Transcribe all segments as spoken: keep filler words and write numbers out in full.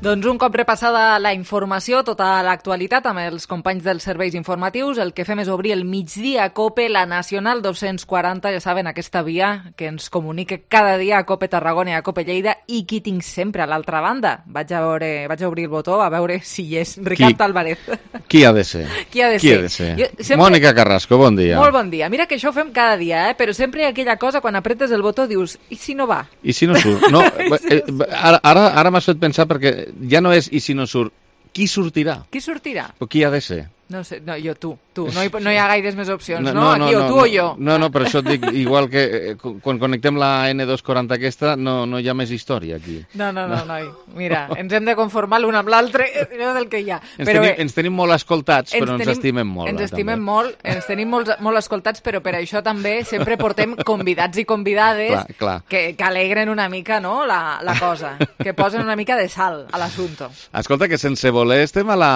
Doncs un cop repassada la informació, tota l'actualitat amb els companys dels serveis informatius, el que fem és obrir el migdia a COPE, la Nacional dos-cents quaranta, ja saben, aquesta via que ens comunica cada dia a COPE Tarragona i a COPE Lleida, i qui tinc sempre a l'altra banda. Vaig a, veure, vaig a obrir el botó a veure si hi és. Ricard Álvarez. Qui ha de ser? Qui ha de qui ser? Ha de ser? Jo, sempre... Mònica Carrasco, bon dia. Molt bon dia. Mira que això ho fem cada dia, eh? Però sempre hi ha aquella cosa, quan apretes el botó, dius, i si no va? I si no surt? No, eh, ara ara, ara m'has fet pensar, perquè ja no és i si no surt, qui sortirà? Qui sortirà? O qui ha de ser? No sé, no, jo, tu, tu. No hi, no hi ha gaires més opcions, no? No, no, no Aquí, no, o tu no, o jo. No, no, però això et dic, igual que eh, quan connectem la ene dos quaranta aquesta, no, no hi ha més història aquí. No, no, no, noi. Mira, ens hem de conformar l'un amb l'altre, és el que hi ha. Ens, però tenim, bé, ens tenim molt escoltats, ens però ens tenim, estimem molt. Ens eh, estimem també. molt, ens tenim molt, molt escoltats, però per això també sempre portem convidats i convidades clar, clar. Que, que alegren una mica, no?, la, la cosa, que posen una mica de sal a l'assumpte. Escolta, que sense voler estem a la,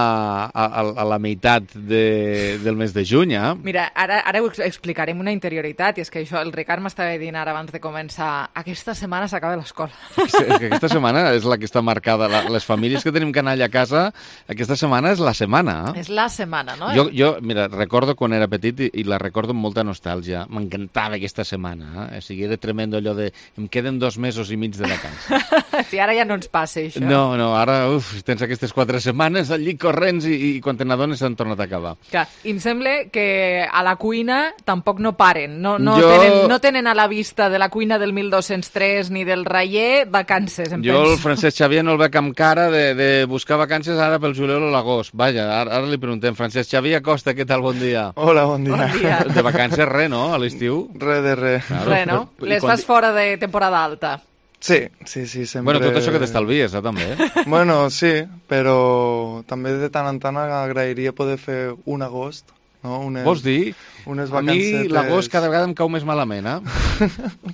a, a la meitat de, del mes de juny, eh? Mira, ara, ara ho explicarem una interioritat, i és que això el Ricard m'estava dient ara abans de començar, aquesta setmana s'acaba l'escola. És que aquesta setmana és la que està marcada, la, les famílies que tenim canalla a casa, aquesta setmana és la setmana. Eh? És la setmana, no? Jo, jo, mira, recordo quan era petit i, i la recordo amb molta nostàlgia, m'encantava aquesta setmana, eh? O sigui, era tremendo allò de, em queden dos mesos i mig de vacances. Sí, ara ja no ens passa això. No, no, ara, uf, tens aquestes quatre setmanes al llit corrents i, i quan te n'adones s'han tornat a acabar. Clar, i em sembla que a la cuina tampoc no paren, no, no, jo... tenen, no tenen a la vista de la cuina del mil dos-cents tres ni del Raller vacances, em jo penso. el Francesc Xavier no el veig amb cara de, de buscar vacances ara pel juliol o l'agost. Vaja, ara, ara li preguntem, Francesc Xavier Acosta, què tal, bon dia? Hola, bon dia. Bon dia. De vacances res, no?, a l'estiu? Re de re. Claro, Res, no? però- Les quan- fas fora de temporada alta. Sí, sí, sí, sempre... Bueno, tot això que t'estalvies, eh, també. Bueno, sí, però també de tant en tant agrairia poder fer un agost, no? Unes, Vols dir? unes A mi vacancetes... l'agost cada vegada em cau més malament, eh?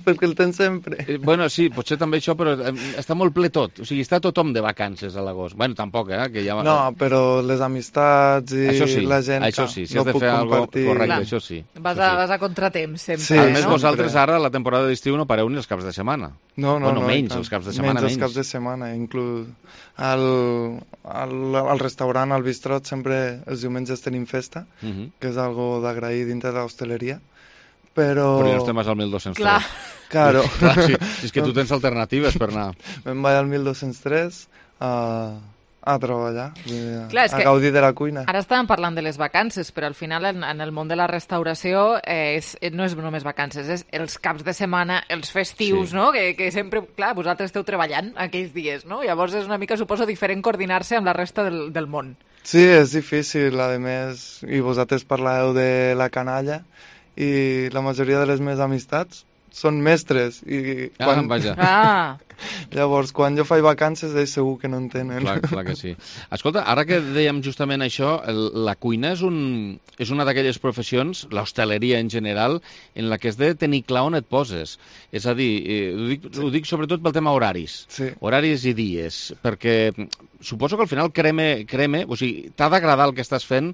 Perquè el tens sempre. Eh, Bueno, sí, potser també això, però eh, està molt ple tot. O sigui, està tothom de vacances a l'agost. Bueno, tampoc, eh? Que ja... No, però les amistats i això sí, la gent això que sí, si no has de puc fer alguna cosa compartir... correcte, Clar. això sí. Vas això a, sí. vas a contratemps, sempre. Sí, a no? més, sempre. vosaltres ara, la temporada d'estiu, no pareu ni els caps de setmana. No, no, Bueno, no. menys, i tant. els caps de setmana, menys. menys. els caps de setmana, inclús al, al, al restaurant, al bistrot, sempre els diumenges tenim festa, Uh -huh. que és algo d'agrair dintre de l'hostaleria, però... Però ja no estem al mil dos-cents tres. Clar. Claro. Clar, sí, sí, és que tu tens alternatives per anar. Me'n vaig al mil dos-cents tres a, a treballar, a, Clar, és a que gaudir de la cuina. Ara estàvem parlant de les vacances, però al final en, en el món de la restauració eh, és, no és només vacances, és els caps de setmana, els festius, Sí. no? Que, que sempre, clar, vosaltres esteu treballant aquells dies, no? Llavors és una mica, suposo, diferent coordinar-se amb la resta del, del món. Sí, és difícil, a més, i vosaltres parleu de la canalla, i la majoria de les meves amistats són mestres, i Ah, quan... vaja. Ah, Llavors, quan jo faig vacances, ells segur que no en tenen. Clar, clar que sí. Escolta, ara que dèiem justament això, el, la cuina és, un, és una d'aquelles professions, l'hostaleria en general, en la que has de tenir clar on et poses. És a dir, eh, ho, dic, ho dic sobretot pel tema horaris. Sí. Horaris i dies, perquè suposo que al final creme, creme o sigui, t'ha d'agradar el que estàs fent,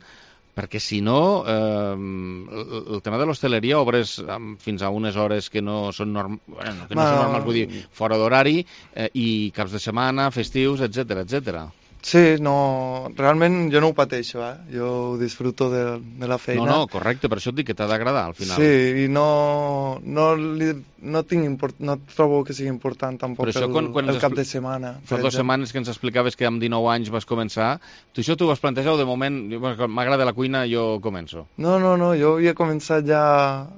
perquè si no, eh, el, el tema de l'hostaleria obres amb, fins a unes hores que no són, norm... bueno, que no Ma... són normals, vull dir, fora d'horari, eh, i caps de setmana, festius, etcètera, etcètera. Sí, no, realment jo no ho pateixo, eh? Jo ho disfruto de, de la feina. No, no, correcte, per això et dic que t'ha d'agradar al final. Sí, i no, no, li, no, tinc import, no trobo que sigui important tampoc Però això el, quan- quan el ens cap expli- de setmana. Fa dues setmanes que ens explicaves que amb dinou anys vas començar, tu això t'ho vas plantejar o de moment, bueno, m'agrada la cuina, jo començo? No, no, no, jo havia començat ja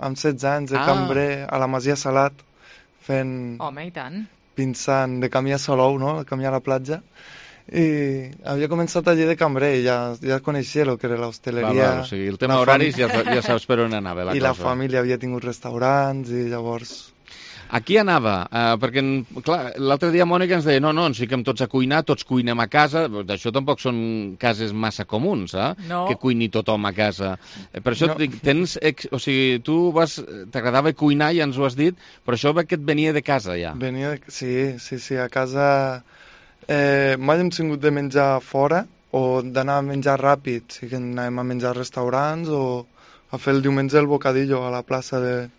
amb setze anys de Ah. cambrer a la Masia Salat, fent, home, i tant. pinçant de camí a Salou, no?, de camí a la platja, i havia començat allí de cambrer i ja, ja coneixia el que era Val, l'hostaleria. val, o sigui, el tema la horaris fam- ja, ja saps per on anava la I cosa. la família havia tingut restaurants i llavors... Aquí anava, uh, perquè clar, l'altre dia Mònica ens deia no, no, ens fiquem tots a cuinar, tots cuinem a casa, d'això tampoc són cases massa comuns, eh? No. Que cuini tothom a casa. Eh, Per això No. et dic, tens, ex... o sigui, tu vas, t'agradava cuinar, ja ens ho has dit, però això ve que et venia de casa ja. Venia de... Sí, sí, sí, a casa eh, mai hem tingut de menjar fora o d'anar a menjar ràpid, sí que anàvem a menjar a restaurants o a fer el diumenge el bocadillo a la plaça de,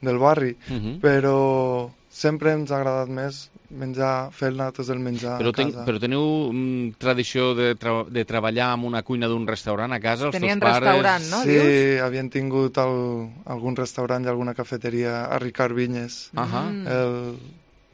del barri, Uh -huh. però sempre ens ha agradat més menjar, fer nosaltres el menjar Però, a ten, casa. però teniu mm, tradició de, tra de treballar en una cuina d'un restaurant a casa? Els Tenien teus pares... restaurant, no? Sí, Dius? havien tingut el, algun restaurant i alguna cafeteria a Ricard Vinyes. Uh -huh. Mm. El,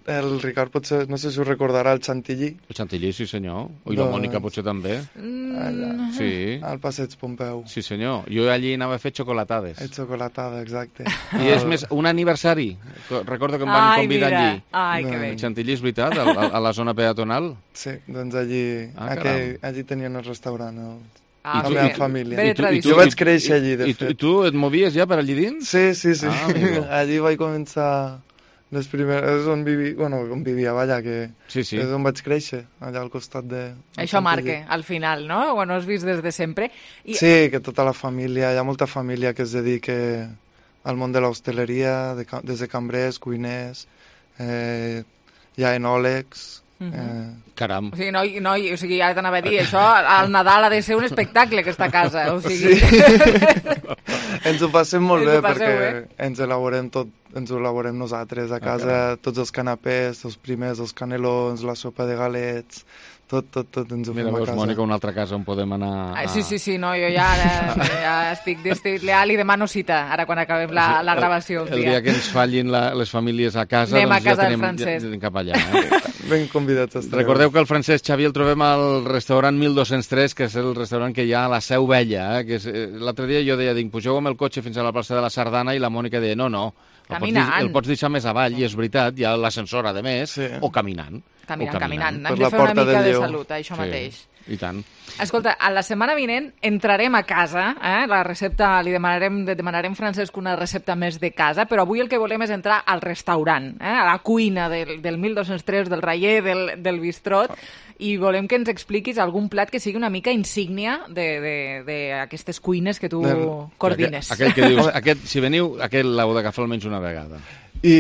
el Ricard potser, no sé si us recordarà, el Chantilly, El Chantilly, sí senyor. I la Doncs- Mònica potser també. Mm. Sí, al Passeig Pompeu. sí senyor. Jo allí anava a fer xocolatades. El xocolatada, exacte. I és més, un aniversari. Co- Recordo que em van Ai, convidar mira. allí. Ai, que No, bé. El Chantilly, és veritat, a, a, a la zona peatonal. Sí, doncs allí, Ah, aquell, allí tenien el restaurant. El... Ah, la tu- meva bé. família. Bé de I tu- i tradició. Jo vaig créixer allí, de I, tu, I fet. tu et movies ja per allí dins? Sí, sí, sí. Ah, amigo. Allí vaig començar les primeres... És on vivia, bueno, on vivia, vaja, que Sí, sí. és on vaig créixer, allà al costat de... Això marca, al final, no? Quan ho has vist des de sempre. I... Sí, que tota la família, hi ha molta família que es dedica al món de l'hostaleria, de, ca- des de cambrers, cuiners, eh, hi ha enòlegs... Mhm. eh, Caram. O sigui, noi, noi, o sigui, ara t'anava a dir, això al Nadal ha de ser un espectacle, aquesta casa. O sigui... ens ho passem molt Ens bé ho passeu perquè bé. ens elaborem tot, ens ho elaborem nosaltres a casa, tots els canapés, els primers, els canelons, la sopa de galets, tot, tot, tot ens ho Mira, fem a veus, casa. Mònica, una altra casa on podem anar... Ah, A... sí, sí, sí, no, jo ja, ara, ja estic, estic ja li demano cita, ara quan acabem la, la gravació. El, el dia que ens fallin la, les famílies a casa, Anem a doncs casa ja del tenim, ja, Francesc. anem cap allà. Eh? Ben convidats estareu. Recordeu que el Francesc Xavi el trobem al restaurant mil dos-cents tres, que és el restaurant que hi ha a la Seu Vella. Eh? Que és, eh, l'altre dia jo deia, dic, pugeu amb el cotxe fins a la plaça de la Sardana, i la Mònica deia, no, no, el pots, Caminant. deix- el pots deixar més avall, i és veritat, hi ha l'ascensor, a més, Sí. o caminant. Caminant, o caminant. Per Hem la de fer una Porta mica del de Lleó. salut, això mateix. I tant. Escolta, a la setmana vinent entrarem a casa, eh? La recepta, li demanarem, de- demanarem Francesc una recepta més de casa, però avui el que volem és entrar al restaurant, eh? A la cuina del, del mil dos-cents tres, del Raller, del, del Bistrot, i volem que ens expliquis algun plat que sigui una mica insígnia d'aquestes cuines que tu Del- coordines. Aquell, aquell que dius, aquest, si veniu, aquest l'heu d'agafar almenys una vegada. I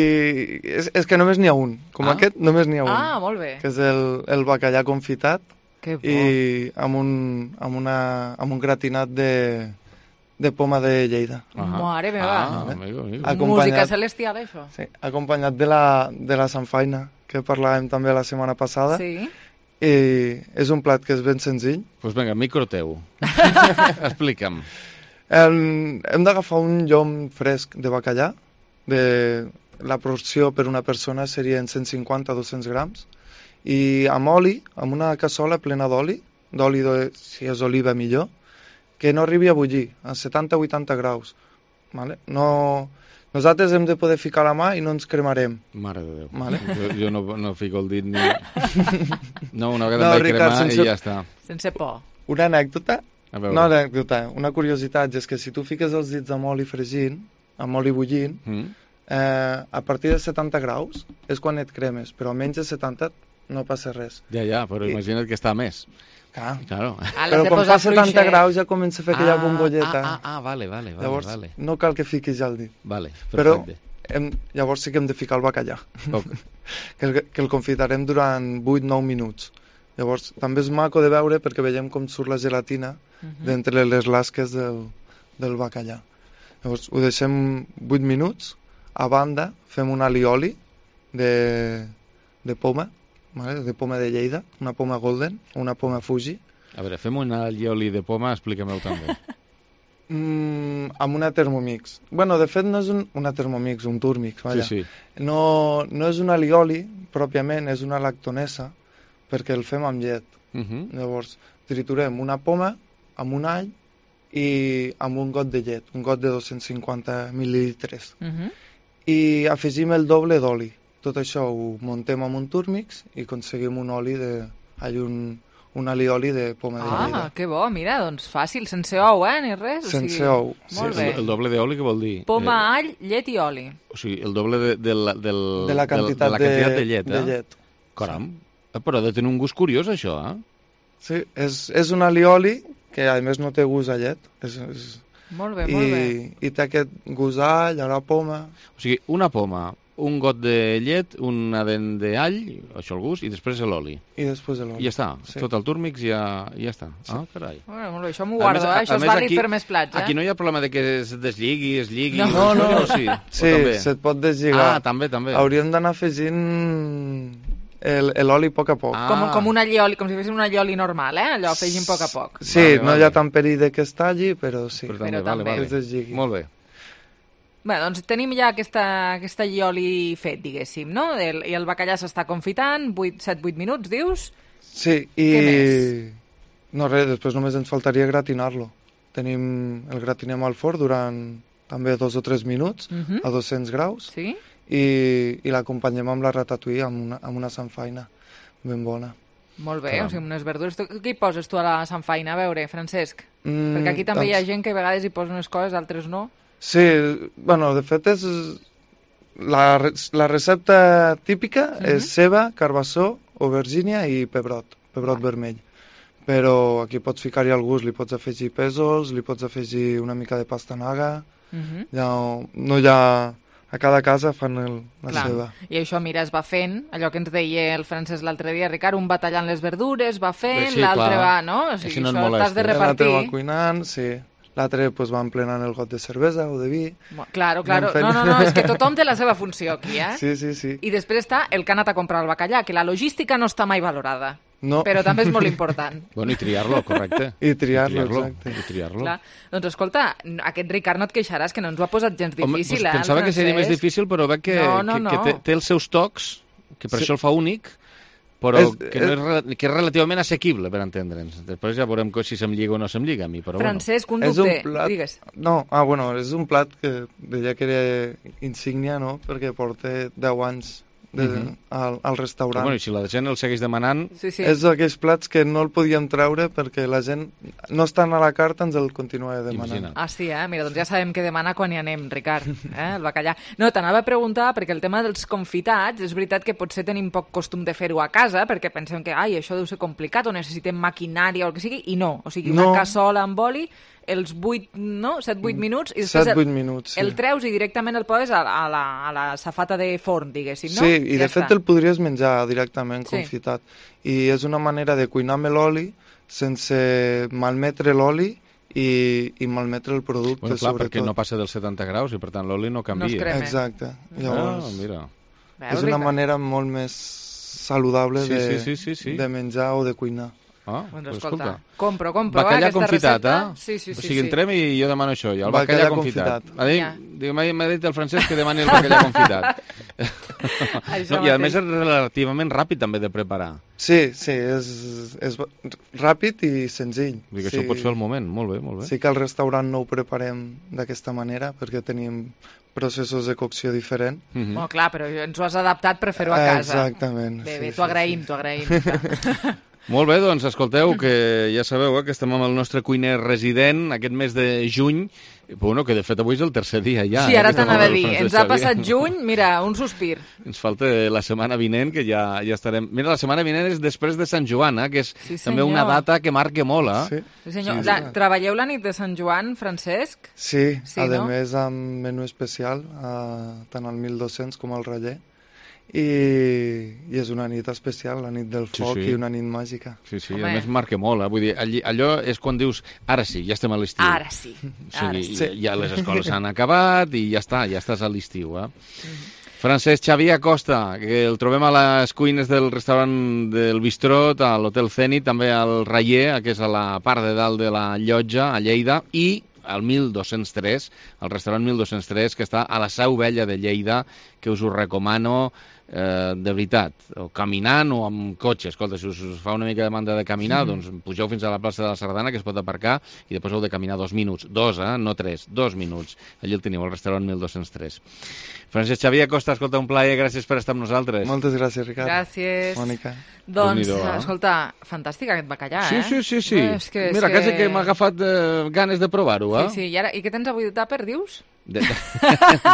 és, és que només n'hi ha un. Com Ah. aquest, només n'hi ha un. Ah, molt bé. Que és el, el bacallà confitat Que bo. i amb un, amb, una, amb un gratinat de, de poma de Lleida. Mare meva. Ah, amigo, amigo. Ah, Música acompanyat- celestial, això. Sí, acompanyat de la, de la samfaina, que parlàvem també la setmana passada. Sí. I és un plat que és ben senzill. Doncs pues vinga, micro teu. Explica'm. Hem, hem d'agafar un llom fresc de bacallà. De, la porció per una persona serien cent cinquanta a dos-cents grams. I amb oli, amb una cassola plena d'oli, d'oli, de, si és oliva millor, que no arribi a bullir, a setanta a vuitanta graus. Vale? No, nosaltres hem de poder ficar la mà i no ens cremarem. Mare de Déu. Vale. Jo, jo no, no fico el dit ni... No, una vegada No, em vaig Ricard, cremar sense- i ja està. Sense por. Una anècdota, A veure. no anècdota, una curiositat, és que si tu fiques els dits amb oli fregint, amb oli bullint, Mm? eh, a partir de setanta graus és quan et cremes, però menys de setanta no passa res. Ja, ja, però I- imagina't que està més. Clar. Claro. Ah, l'has Però de quan posar fa setanta fluixet. graus ja comença a fer aquella ah, bombolleta. Ah, ah, ah, vale, vale, vale. Llavors vale. no cal que fiquis ja el dit. Vale, Però perfecte. hem, llavors sí que hem de ficar el bacallà, Ok. que, el, que el confitarem durant vuit nou minuts. Llavors també és maco de veure perquè veiem com surt la gelatina Mhm. d'entre les lasques del, del bacallà. Llavors ho deixem vuit minuts, a banda fem un alioli de, de poma, vale? De poma de Lleida, una poma golden, una poma Fuji, A veure, fem un allioli de poma, explica-m'ho també. mm, amb una Thermomix. Bueno, de fet no és un, una Thermomix, un Turmix, Sí, vaja. sí. No, no és un alioli, pròpiament, és una lactonesa, perquè el fem amb llet. Uh -huh. Llavors, triturem una poma amb un all i amb un got de llet, un got de dos-cents cinquanta mil·lilitres. Mhm. I afegim el doble d'oli. Tot això ho muntem amb un Turmix i aconseguim un oli de... Ai, un, un alioli de poma de Ah, Lleida. que bo, mira, doncs fàcil, sense ou, eh, ni res. O Sense sigui, ou, Molt sí, bé. El, el doble d'oli, què vol dir? Poma, all, llet i oli. Eh, o sigui, el doble de, de, la, del, de la quantitat, de, la quantitat de, llet, eh? de llet. Caram. Eh, però ha de tenir un gust curiós, això, eh? Sí, és, és un alioli que a més no té gust a llet. És, és... Molt bé, molt bé. I, I té aquest gust a all, a la poma. O sigui, una poma un got de llet, una dent d'all, això al gust, i després l'oli. I després l'oli. I ja està, Sí. tot el túrmix ja, ja està. Sí. Ah, carai. Bueno, molt bé, això m'ho A guardo, més- eh? a- Això a és més, vàlid aquí- per més plats, eh? Aquí no hi ha problema de que es deslligui, es lligui... No. No, no. O sí, Sí, o també? se't pot deslligar. Ah, també, també. Hauríem d'anar afegint el- l'oli a poc a poc. Ah. Com, com un allioli, com si fessin un allioli normal, eh? Allò, afegint a poc a poc. Sí, Vale, no vale. hi ha tant perill de que es talli, però sí. Però també, Però vale, també. vale. Es deslligui. Molt bé. Bé, doncs tenim ja aquesta, aquesta allioli fet, diguéssim, no? El, I el bacallà s'està confitant, set vuit minuts, dius? Sí, i... Què més? No, res, després només ens faltaria gratinar-lo. Tenim... El gratinem al forn durant també dos o tres minuts, Mhm. a dos-cents graus, Sí? i, i l'acompanyem amb la ratatouille, amb una, amb una samfaina ben bona. Molt bé, Caram. o sigui, unes verdures... Tu, què hi poses tu a la samfaina? A veure, Francesc. Mm, Perquè aquí també hi ha doncs- gent que a vegades hi posa unes coses, altres no. Sí, bueno, de fet és... La, re- la recepta típica Mhm. és ceba, carbassó, aubergínia i pebrot, pebrot vermell. Però aquí pots ficar-hi al gust, li pots afegir pèsols, li pots afegir una mica de pastanaga, Uh -huh. ja, no hi ha... A cada casa fan el, la Clar. seva. I això, mira, es va fent, allò que ens deia el Francesc l'altre dia, Ricard, un va tallant les verdures, va fent, Sí, l'altre clar. va, no? O sigui, Així no et això t'has de molesta. L'altre repartir. va cuinant, sí. L'altre pues, va emplenant el got de cervesa o de vi. Mo- Claro, claro. Anem fent- No, no, no, és que tothom té la seva funció aquí, eh? Sí, sí, sí. I després està el que ha anat a comprar el bacallà, que la logística no està mai valorada, No. però també és molt important. Bueno, i triar-lo, correcte. I triar-lo, I triar-lo, exacte. i triar-lo. Clar. Doncs escolta, aquest Ricard no et queixaràs, que no ens ho ha posat gens difícil, Home, eh? doncs pensava el que seria més Francesc? difícil, però veig que, No, no, que, que no. té, té els seus tocs, que per Sí. això el fa únic, però És- que, no és, rela- que és relativament assequible, per entendre'ns. Després ja veurem co- si se'm lliga o no se'm lliga a mi, però Francesc, un És dubte, un plat... digues. No, ah, bueno, és un plat que deia que era insígnia, no?, perquè porta deu anys de, Mhm. al, al bueno. restaurant. Bueno, i si la gent el segueix demanant, Sí, sí. És d'aquells plats que no el podíem treure perquè la gent no estan a la carta, ens el continua demanant. Imagina't. Ah, sí, eh? Mira, doncs ja sabem què demana quan hi anem, Ricard, eh? El bacallà. No, t'anava a preguntar, perquè el tema dels confitats, és veritat que potser tenim poc costum de fer-ho a casa, perquè pensem que, ai, això deu ser complicat, o necessitem maquinària o el que sigui, i no. O sigui, una No. cassola amb oli, els vuit, no? set vuit minuts, i després set vuit el, minuts, sí. el treus i directament el poses a, a, la, a la safata de forn, diguéssim, no? Sí, i ja de fet està. el podries menjar directament Sí. confitat. I és una manera de cuinar amb l'oli sense malmetre l'oli i, i malmetre el producte, bueno, clar, sobretot. perquè no passa dels setanta graus i per tant l'oli no canvia. No es crema. Exacte. Ah, Llavors, mira. Veus, és una Ricard? manera molt més saludable Sí, de, sí, sí, sí, sí. de menjar o de cuinar. Ah, Doncs pues escolta, escolta. compro, compro, eh, Bacallà aquesta confitat, recepta. eh? Sí, sí, sí. O sigui, sí. entrem i jo demano això, jo, el Bacallà bacallà, confitat. confitat. M'ha dit, Ja. diu, m'ha m'ha dit el Francesc que demani el bacallà confitat. Això no, I a mateix. més és relativament ràpid també de preparar. Sí, sí, és, és ràpid i senzill. Vull dir que sí. això ho pots fer al moment. Molt bé, molt bé. Sí que al restaurant no ho preparem d'aquesta manera perquè tenim processos de cocció diferents. Mhm. Bueno, clar, però ens ho has adaptat per fer-ho a casa. Exactament. Bé, sí, bé, sí, t'ho agraïm, t'ho agraïm. Molt bé, doncs escolteu, que ja sabeu eh, que estem amb el nostre cuiner resident aquest mes de juny, bueno, que de fet avui és el tercer dia ja. Sí, ara eh, que estem t'anava a amb el dir, Francesc ens ha Xavier. passat juny, mira, un sospir. Ens falta la setmana vinent, que ja, ja estarem... Mira, la setmana vinent és després de Sant Joan, eh, que és Sí, també una senyor. data que marca molt, eh? Sí, Sí, senyor. Sí, La, sí. treballeu la nit de Sant Joan, Francesc? sí, Sí, a no? més amb menú especial, eh, tant al mil dos-cents com al Raller. I, I és una nit especial, la nit del Sí, foc sí. i una nit màgica. Sí, sí, Home. a més marca molt, eh? Vull dir, allí, allò és quan dius, ara sí, ja estem a l'estiu. Ara sí, O ara sigui, sí. ja les escoles s'han acabat i ja està, ja estàs a l'estiu, eh? Francesc Xavier Acosta, que el trobem a les cuines del restaurant del Bistrot, a l'Hotel Zenit, també al Raller, que és a la part de dalt de la llotja, a Lleida, i al mil dos-cents tres, al restaurant mil dos-cents tres, que està a la Seu Vella de Lleida, que us ho recomano eh, de veritat, o caminant o amb cotxe. Escolta, si us, us fa una mica de demanda de caminar, mm. doncs pugeu fins a la plaça de la Sardana, que es pot aparcar, i després heu de caminar dos minuts. Dos, eh? No tres, dos minuts. Allí el teniu, al restaurant mil dos-cents tres. Francesc Xavier Acosta, escolta, un plaer, gràcies per estar amb nosaltres. Moltes gràcies, Ricard. Gràcies. Mònica. Doncs, Déu-n'hi-do, eh? escolta, fantàstic aquest bacallà, Sí, eh? sí, sí, sí. No, és que, és Mira, que... quasi que m'ha agafat eh, ganes de provar-ho, eh? Sí, sí, i, ara, i què tens avui de tàper, dius? De...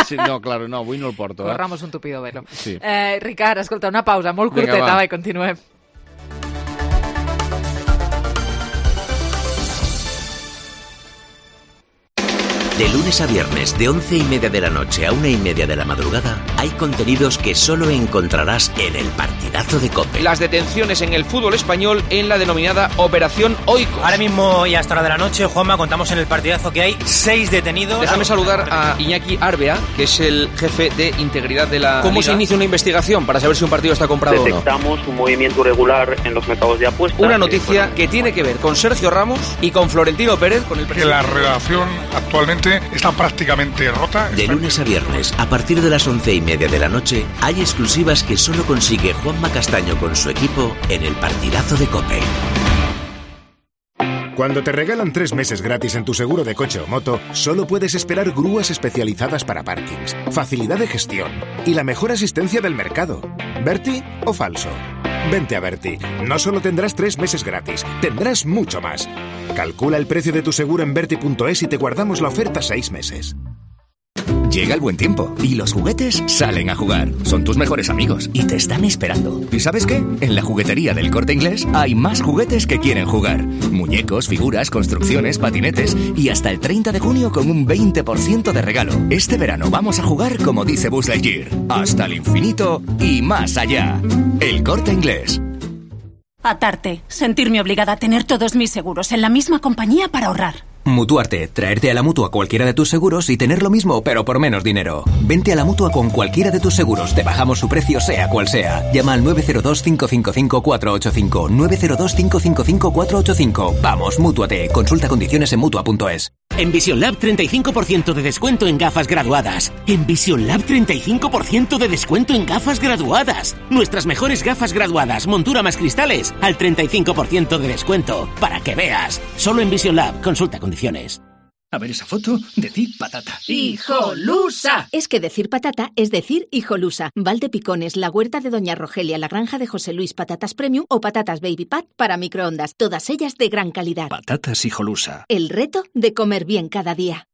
sí, no, claro, no, avui no el porto, eh? Corramos un tupido velo. Sí. Eh, Ricard, escolta, una pausa molt Vinga, curteta, va. va, i continuem. De lunes a viernes, de once y media de la noche a una y media de la madrugada, hay contenidos que solo encontrarás en el Partidazo de COPE. Las detenciones en el fútbol español en la denominada Operación Oikos. Ahora mismo y hasta hora de la noche, Juanma, contamos en el Partidazo que hay seis detenidos. Déjame saludar a Iñaki Arbea, que es el jefe de integridad de la ¿Cómo Liga? Se inicia una investigación para saber si un partido está comprado o no? Detectamos un movimiento irregular en los mercados de apuestas. Una noticia que tiene que ver con Sergio Ramos y con Florentino Pérez, con el presidente. Que la relación actualmente está prácticamente rota. De lunes a viernes, a partir de las once y media de la noche, hay exclusivas que solo consigue Juanma Castaño con su equipo en el Partidazo de COPE. Cuando te regalan tres meses gratis en tu seguro de coche o moto, solo puedes esperar grúas especializadas para parkings, facilidad de gestión y la mejor asistencia del mercado. ¿Berti o falso? Vente a Berti. No solo tendrás tres meses gratis, tendrás mucho más. Calcula el precio de tu seguro en berti punto es y te guardamos la oferta seis meses. Llega el buen tiempo y los juguetes salen a jugar. Son tus mejores amigos y te están esperando. ¿Y sabes qué? En la juguetería del Corte Inglés hay más juguetes que quieren jugar. Muñecos, figuras, construcciones, patinetes y hasta el treinta de junio con un veinte por ciento de regalo. Este verano vamos a jugar como dice Buzz Lightyear. Hasta el infinito y más allá. El Corte Inglés. Atarte. Sentirme obligada a tener todos mis seguros en la misma compañía para ahorrar. Mutuarte, traerte a la Mutua cualquiera de tus seguros y tener lo mismo, pero por menos dinero. Vente a la Mutua con cualquiera de tus seguros, te bajamos su precio sea cual sea. Llama al nueve cero dos, cinco cinco cinco, cuatro ocho cinco, nueve cero dos, cinco cinco cinco, cuatro ocho cinco. Vamos, Mútuate, consulta condiciones en Mutua punto es. En Vision Lab treinta y cinco por ciento de descuento en gafas graduadas. En Vision Lab treinta y cinco por ciento de descuento en gafas graduadas. Nuestras mejores gafas graduadas, montura más cristales, al treinta y cinco por ciento de descuento. Para que veas. Solo en Vision Lab, consulta condiciones. A ver esa foto, decir patata. ¡Hijolusa! Es que decir patata es decir hijolusa. Valdepicones, la huerta de Doña Rogelia, la granja de José Luis, patatas premium o patatas baby pat para microondas. Todas ellas de gran calidad. Patatas hijolusa. El reto de comer bien cada día.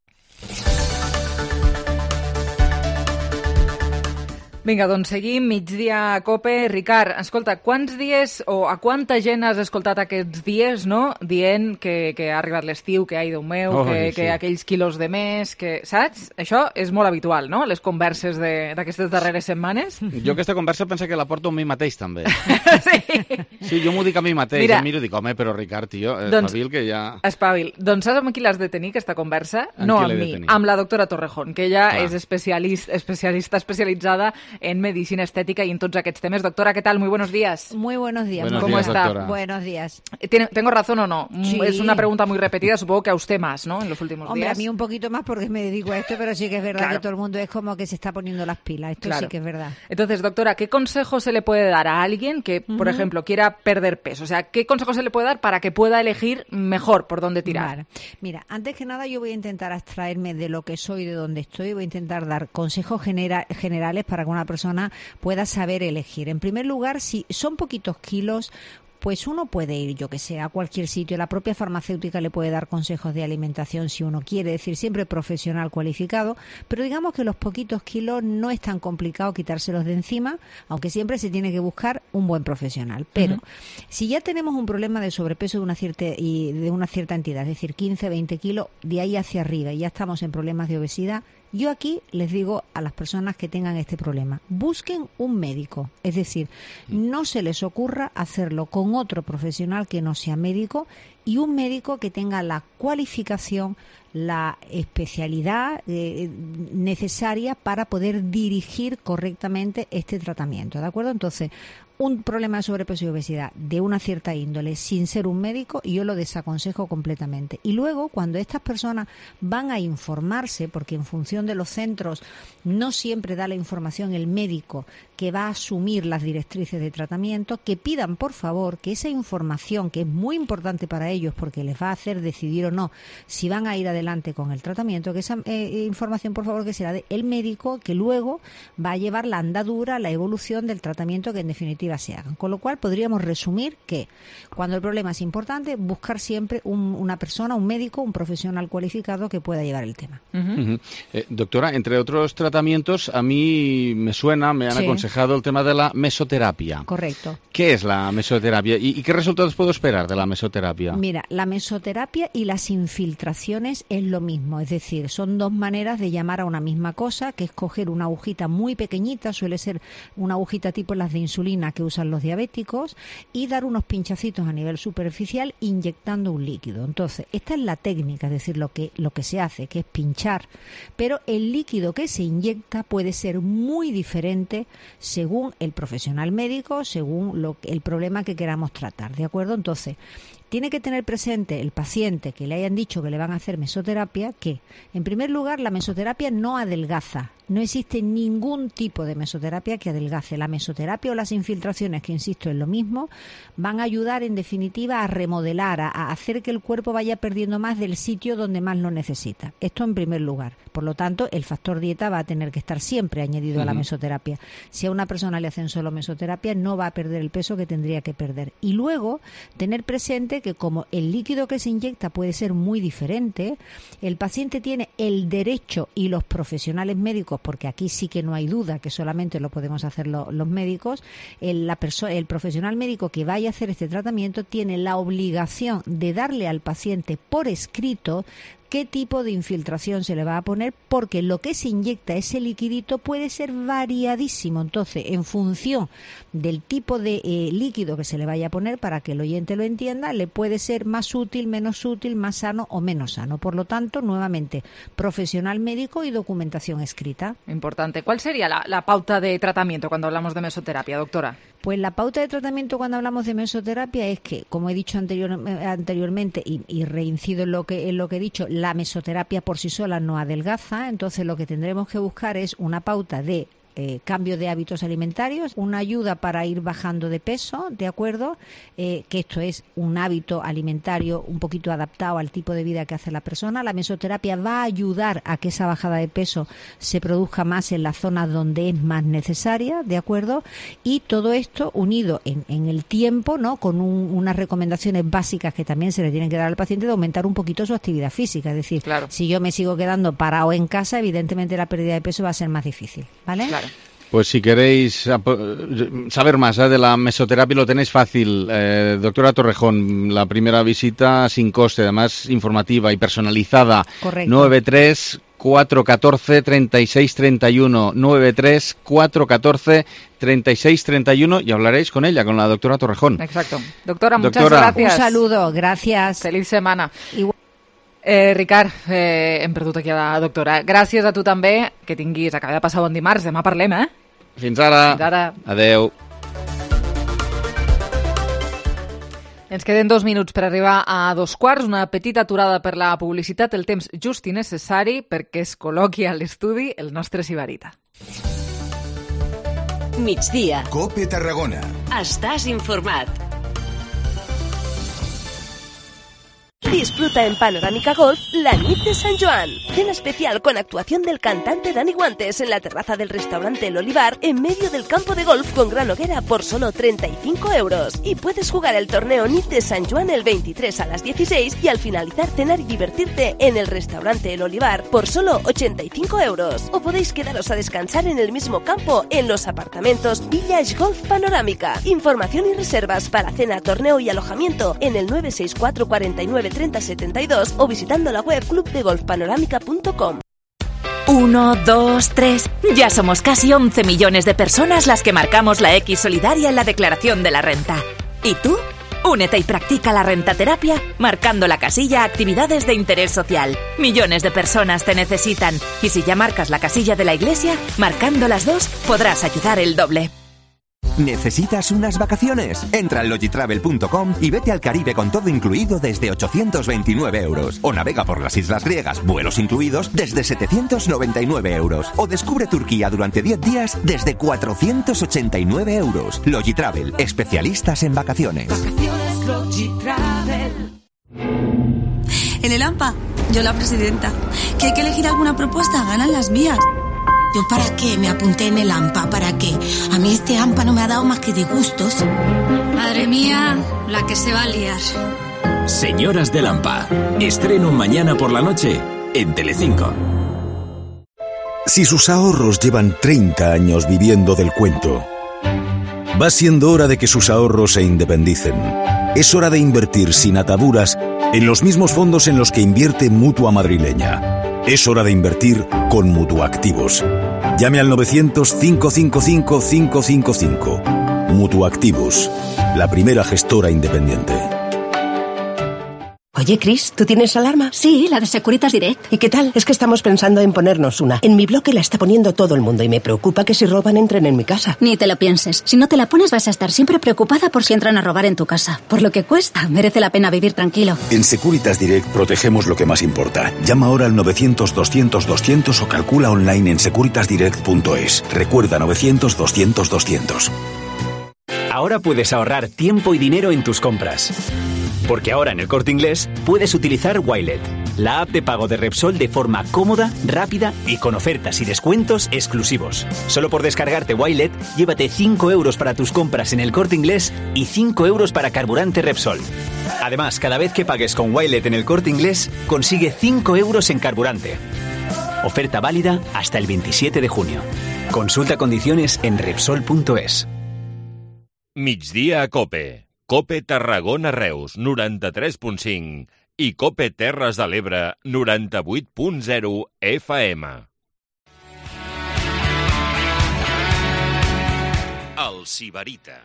Vinga, doncs seguim, migdia a COPE. Ricard, escolta, quants dies o a quanta gent has escoltat aquests dies, no?, dient que, que ha arribat l'estiu, que ai, Déu meu, oh, que, sí. que aquells quilos de més, que, saps? Això és molt habitual, no?, les converses d'aquestes darreres setmanes. Jo aquesta conversa penso que la porto a mi mateix, també. Sí? Sí, jo m'ho dic a mi mateix. Mira, em miro i dic, home, però Ricard, tio, espavil, doncs, que ja... Espavil. Doncs saps amb qui l'has de tenir, aquesta conversa? Amb no amb mi, amb la doctora Torrejón, que ella Clar. és especialista, especialista especialitzada en medicina estética y en todos aquests temas. Doctora, ¿qué tal? Muy buenos días. Muy buenos días. Buenos ¿Cómo días, está? Doctora. Buenos días. ¿Tiene, ¿Tengo razón o no? Sí. Es una pregunta muy repetida, supongo que a usted más, ¿no?, en los últimos Hombre, días. a mí un poquito más porque me dedico a esto, pero sí que es verdad claro. que todo el mundo es como que se está poniendo las pilas. Esto claro. sí que es verdad. Entonces, doctora, ¿qué consejo se le puede dar a alguien que, uh-huh. por ejemplo, quiera perder peso? O sea, ¿qué consejo se le puede dar para que pueda elegir mejor por dónde tirar? Vale. Mira, antes que nada yo voy a intentar abstraerme de lo que soy, de dónde estoy. Voy a intentar dar consejos genera- generales para que una persona pueda saber elegir. En primer lugar, si son poquitos kilos, pues uno puede ir, yo que sé, a cualquier sitio. La propia farmacéutica le puede dar consejos de alimentación si uno quiere, es decir, siempre profesional cualificado, pero digamos que los poquitos kilos no es tan complicado quitárselos de encima, aunque siempre se tiene que buscar un buen profesional. Pero uh-huh. si ya tenemos un problema de sobrepeso de una cierta y de una cierta entidad, es decir, quince, veinte kilos, de ahí hacia arriba, y ya estamos en problemas de obesidad, yo aquí les digo a las personas que tengan este problema, busquen un médico, es decir, no se les ocurra hacerlo con otro profesional que no sea médico y un médico que tenga la cualificación, la especialidad eh, necesaria para poder dirigir correctamente este tratamiento, ¿de acuerdo? Entonces, un problema de sobrepeso y obesidad de una cierta índole sin ser un médico, yo lo desaconsejo completamente. Y luego, cuando estas personas van a informarse, porque en función de los centros no siempre da la información el médico que va a asumir las directrices de tratamiento, que pidan, por favor, que esa información, que es muy importante para ellos porque les va a hacer decidir o no si van a ir adelante con el tratamiento, que esa eh, información, por favor, que será del médico, que luego va a llevar la andadura, la evolución del tratamiento que en definitiva se hagan. Con lo cual podríamos resumir que cuando el problema es importante, buscar siempre un, una persona, un médico, un profesional cualificado que pueda llevar el tema. Uh-huh. Uh-huh. Eh, doctora, entre otros tratamientos, a mí me suena, me han sí. aconsejado el tema de la mesoterapia. Correcto. ¿Qué es la mesoterapia y, y qué resultados puedo esperar de la mesoterapia? Mira, la mesoterapia y las infiltraciones es lo mismo, es decir, son dos maneras de llamar a una misma cosa, que es coger una agujita muy pequeñita, suele ser una agujita tipo las de insulina que usan los diabéticos, y dar unos pinchacitos a nivel superficial inyectando un líquido. Entonces, esta es la técnica, es decir, lo que, lo que se hace, que es pinchar, pero el líquido que se inyecta puede ser muy diferente según el profesional médico, según lo, el problema que queramos tratar, ¿de acuerdo? Entonces, tiene que tener presente el paciente que le hayan dicho que le van a hacer mesoterapia que, en primer lugar, la mesoterapia no adelgaza. No existe ningún tipo de mesoterapia que adelgace. La mesoterapia o las infiltraciones, que insisto es lo mismo, van a ayudar en definitiva a remodelar, a, a hacer que el cuerpo vaya perdiendo más del sitio donde más lo necesita. Esto en primer lugar. Por lo tanto, el factor dieta va a tener que estar siempre añadido uh-huh. a la mesoterapia. Si a una persona le hacen solo mesoterapia, no va a perder el peso que tendría que perder. Y luego, tener presente que como el líquido que se inyecta puede ser muy diferente, el paciente tiene el derecho, y los profesionales médicos, porque aquí sí que no hay duda que solamente lo podemos hacer lo, los médicos, el, la perso- el profesional médico que vaya a hacer este tratamiento tiene la obligación de darle al paciente por escrito qué tipo de infiltración se le va a poner, porque lo que se inyecta, ese liquidito, puede ser variadísimo. Entonces, en función del tipo de eh, líquido que se le vaya a poner, para que el oyente lo entienda, le puede ser más útil, menos útil, más sano o menos sano. Por lo tanto, nuevamente, profesional médico y documentación escrita. Importante. ¿Cuál sería la, la pauta de tratamiento cuando hablamos de mesoterapia, doctora? Pues la pauta de tratamiento cuando hablamos de mesoterapia es que, como he dicho anterior, anteriormente y, y reincido en lo que en lo que he dicho, la mesoterapia por sí sola no adelgaza. Entonces lo que tendremos que buscar es una pauta de Eh, cambio de hábitos alimentarios, una ayuda para ir bajando de peso, ¿de acuerdo? Eh, que esto es un hábito alimentario un poquito adaptado al tipo de vida que hace la persona. La mesoterapia va a ayudar a que esa bajada de peso se produzca más en las zonas donde es más necesaria, ¿de acuerdo? Y todo esto unido en, en el tiempo, ¿no? Con un, unas recomendaciones básicas que también se le tienen que dar al paciente de aumentar un poquito su actividad física. Es decir, claro, si yo me sigo quedando parado en casa, evidentemente la pérdida de peso va a ser más difícil, ¿vale? Claro. Pues si queréis saber más ¿eh? de la mesoterapia, lo tenéis fácil. Eh, doctora Torrejón, la primera visita sin coste, además informativa y personalizada. Correcto. nueve tres cuatro uno cuatro treinta y seis treinta y uno, nueve tres cuatro uno cuatro treinta y seis treinta y uno, y hablaréis con ella, con la doctora Torrejón. Exacto. Doctora, muchas doctora. gracias. Un saludo, gracias. Feliç setmana. Igual. Eh, Ricard, eh, hem perdut aquí a la doctora. Gràcies a tu també, que tinguis, acaba de passar bon dimarts, demà parlem, eh? Fins ara. Fins ara. Adeu. Ens queden dos minuts per arribar a dos quarts, una petita aturada per la publicitat, el temps just i necessari perquè es col·loqui a l'estudi el nostre Sibarita. Migdia. COPE Tarragona. Estàs informat. Disfruta en Panorámica Golf la nit de San Joan. Cena especial con actuación del cantante Dani Guantes en la terraza del restaurante El Olivar en medio del campo de golf con gran hoguera por solo treinta y cinco euros. Y puedes jugar el torneo Nit de San Joan el veintitrés a las dieciséis y al finalizar cenar y divertirte en el restaurante El Olivar por solo ochenta y cinco euros. O podéis quedaros a descansar en el mismo campo en los apartamentos Village Golf Panorámica. Información y reservas para cena, torneo y alojamiento en el nueve seis cuatro cuatro nueve treinta setenta y dos o visitando la web club de golf panorámica punto com. Uno, dos, tres. Ya somos casi once millones de personas las que marcamos la X solidaria en la declaración de la renta. ¿Y tú? Únete y practica la rentaterapia marcando la casilla Actividades de Interés Social. Millones de personas te necesitan. Y si ya marcas la casilla de la Iglesia, marcando las dos, podrás ayudar el doble. ¿Necesitas unas vacaciones? Entra en logitravel punto com y vete al Caribe con todo incluido desde ochocientos veintinueve euros. O navega por las islas griegas, vuelos incluidos, desde setecientos noventa y nueve euros. O descubre Turquía durante diez días desde cuatrocientos ochenta y nueve euros. Logitravel, especialistas en vacaciones. Vacaciones Logitravel. En el AMPA, yo la presidenta. ¿Que hay que elegir alguna propuesta? Ganan las mías. ¿Yo para qué me apunté en el AMPA? ¿Para qué? A mí este AMPA no me ha dado más que disgustos. Madre mía, la que se va a liar. Señoras del AMPA. Estreno mañana por la noche en Telecinco. Si sus ahorros llevan treinta años viviendo del cuento, va siendo hora de que sus ahorros se independicen. Es hora de invertir sin ataduras en los mismos fondos en los que invierte Mutua Madrileña. Es hora de invertir con Mutuactivos. Llame al novecientos, cinco cinco cinco, cinco cinco cinco. Mutuactivos, la primera gestora independiente. Oye, Chris, ¿tú tienes alarma? Sí, la de Securitas Direct. ¿Y qué tal? Es que estamos pensando en ponernos una. En mi bloque la está poniendo todo el mundo y me preocupa que si roban entren en mi casa. Ni te lo pienses. Si no te la pones vas a estar siempre preocupada por si entran a robar en tu casa. Por lo que cuesta, merece la pena vivir tranquilo. En Securitas Direct protegemos lo que más importa. Llama ahora al novecientos, doscientos, doscientos o calcula online en securitas direct punto es. Recuerda novecientos, doscientos, doscientos. Ahora puedes ahorrar tiempo y dinero en tus compras. Porque ahora en el Corte Inglés puedes utilizar Wilet, la app de pago de Repsol de forma cómoda, rápida y con ofertas y descuentos exclusivos. Solo por descargarte Wilet, llévate cinco euros para tus compras en el Corte Inglés y cinco euros para carburante Repsol. Además, cada vez que pagues con Wilet en el Corte Inglés, consigue cinco euros en carburante. Oferta válida hasta el veintisiete de junio. Consulta condiciones en Repsol punto es. Migdia a Cope. Cope Tarragona Reus, noranta-tres punt cinc i Cope Terres de l'Ebre, noranta-vuit punt zero F M. El Sibarita.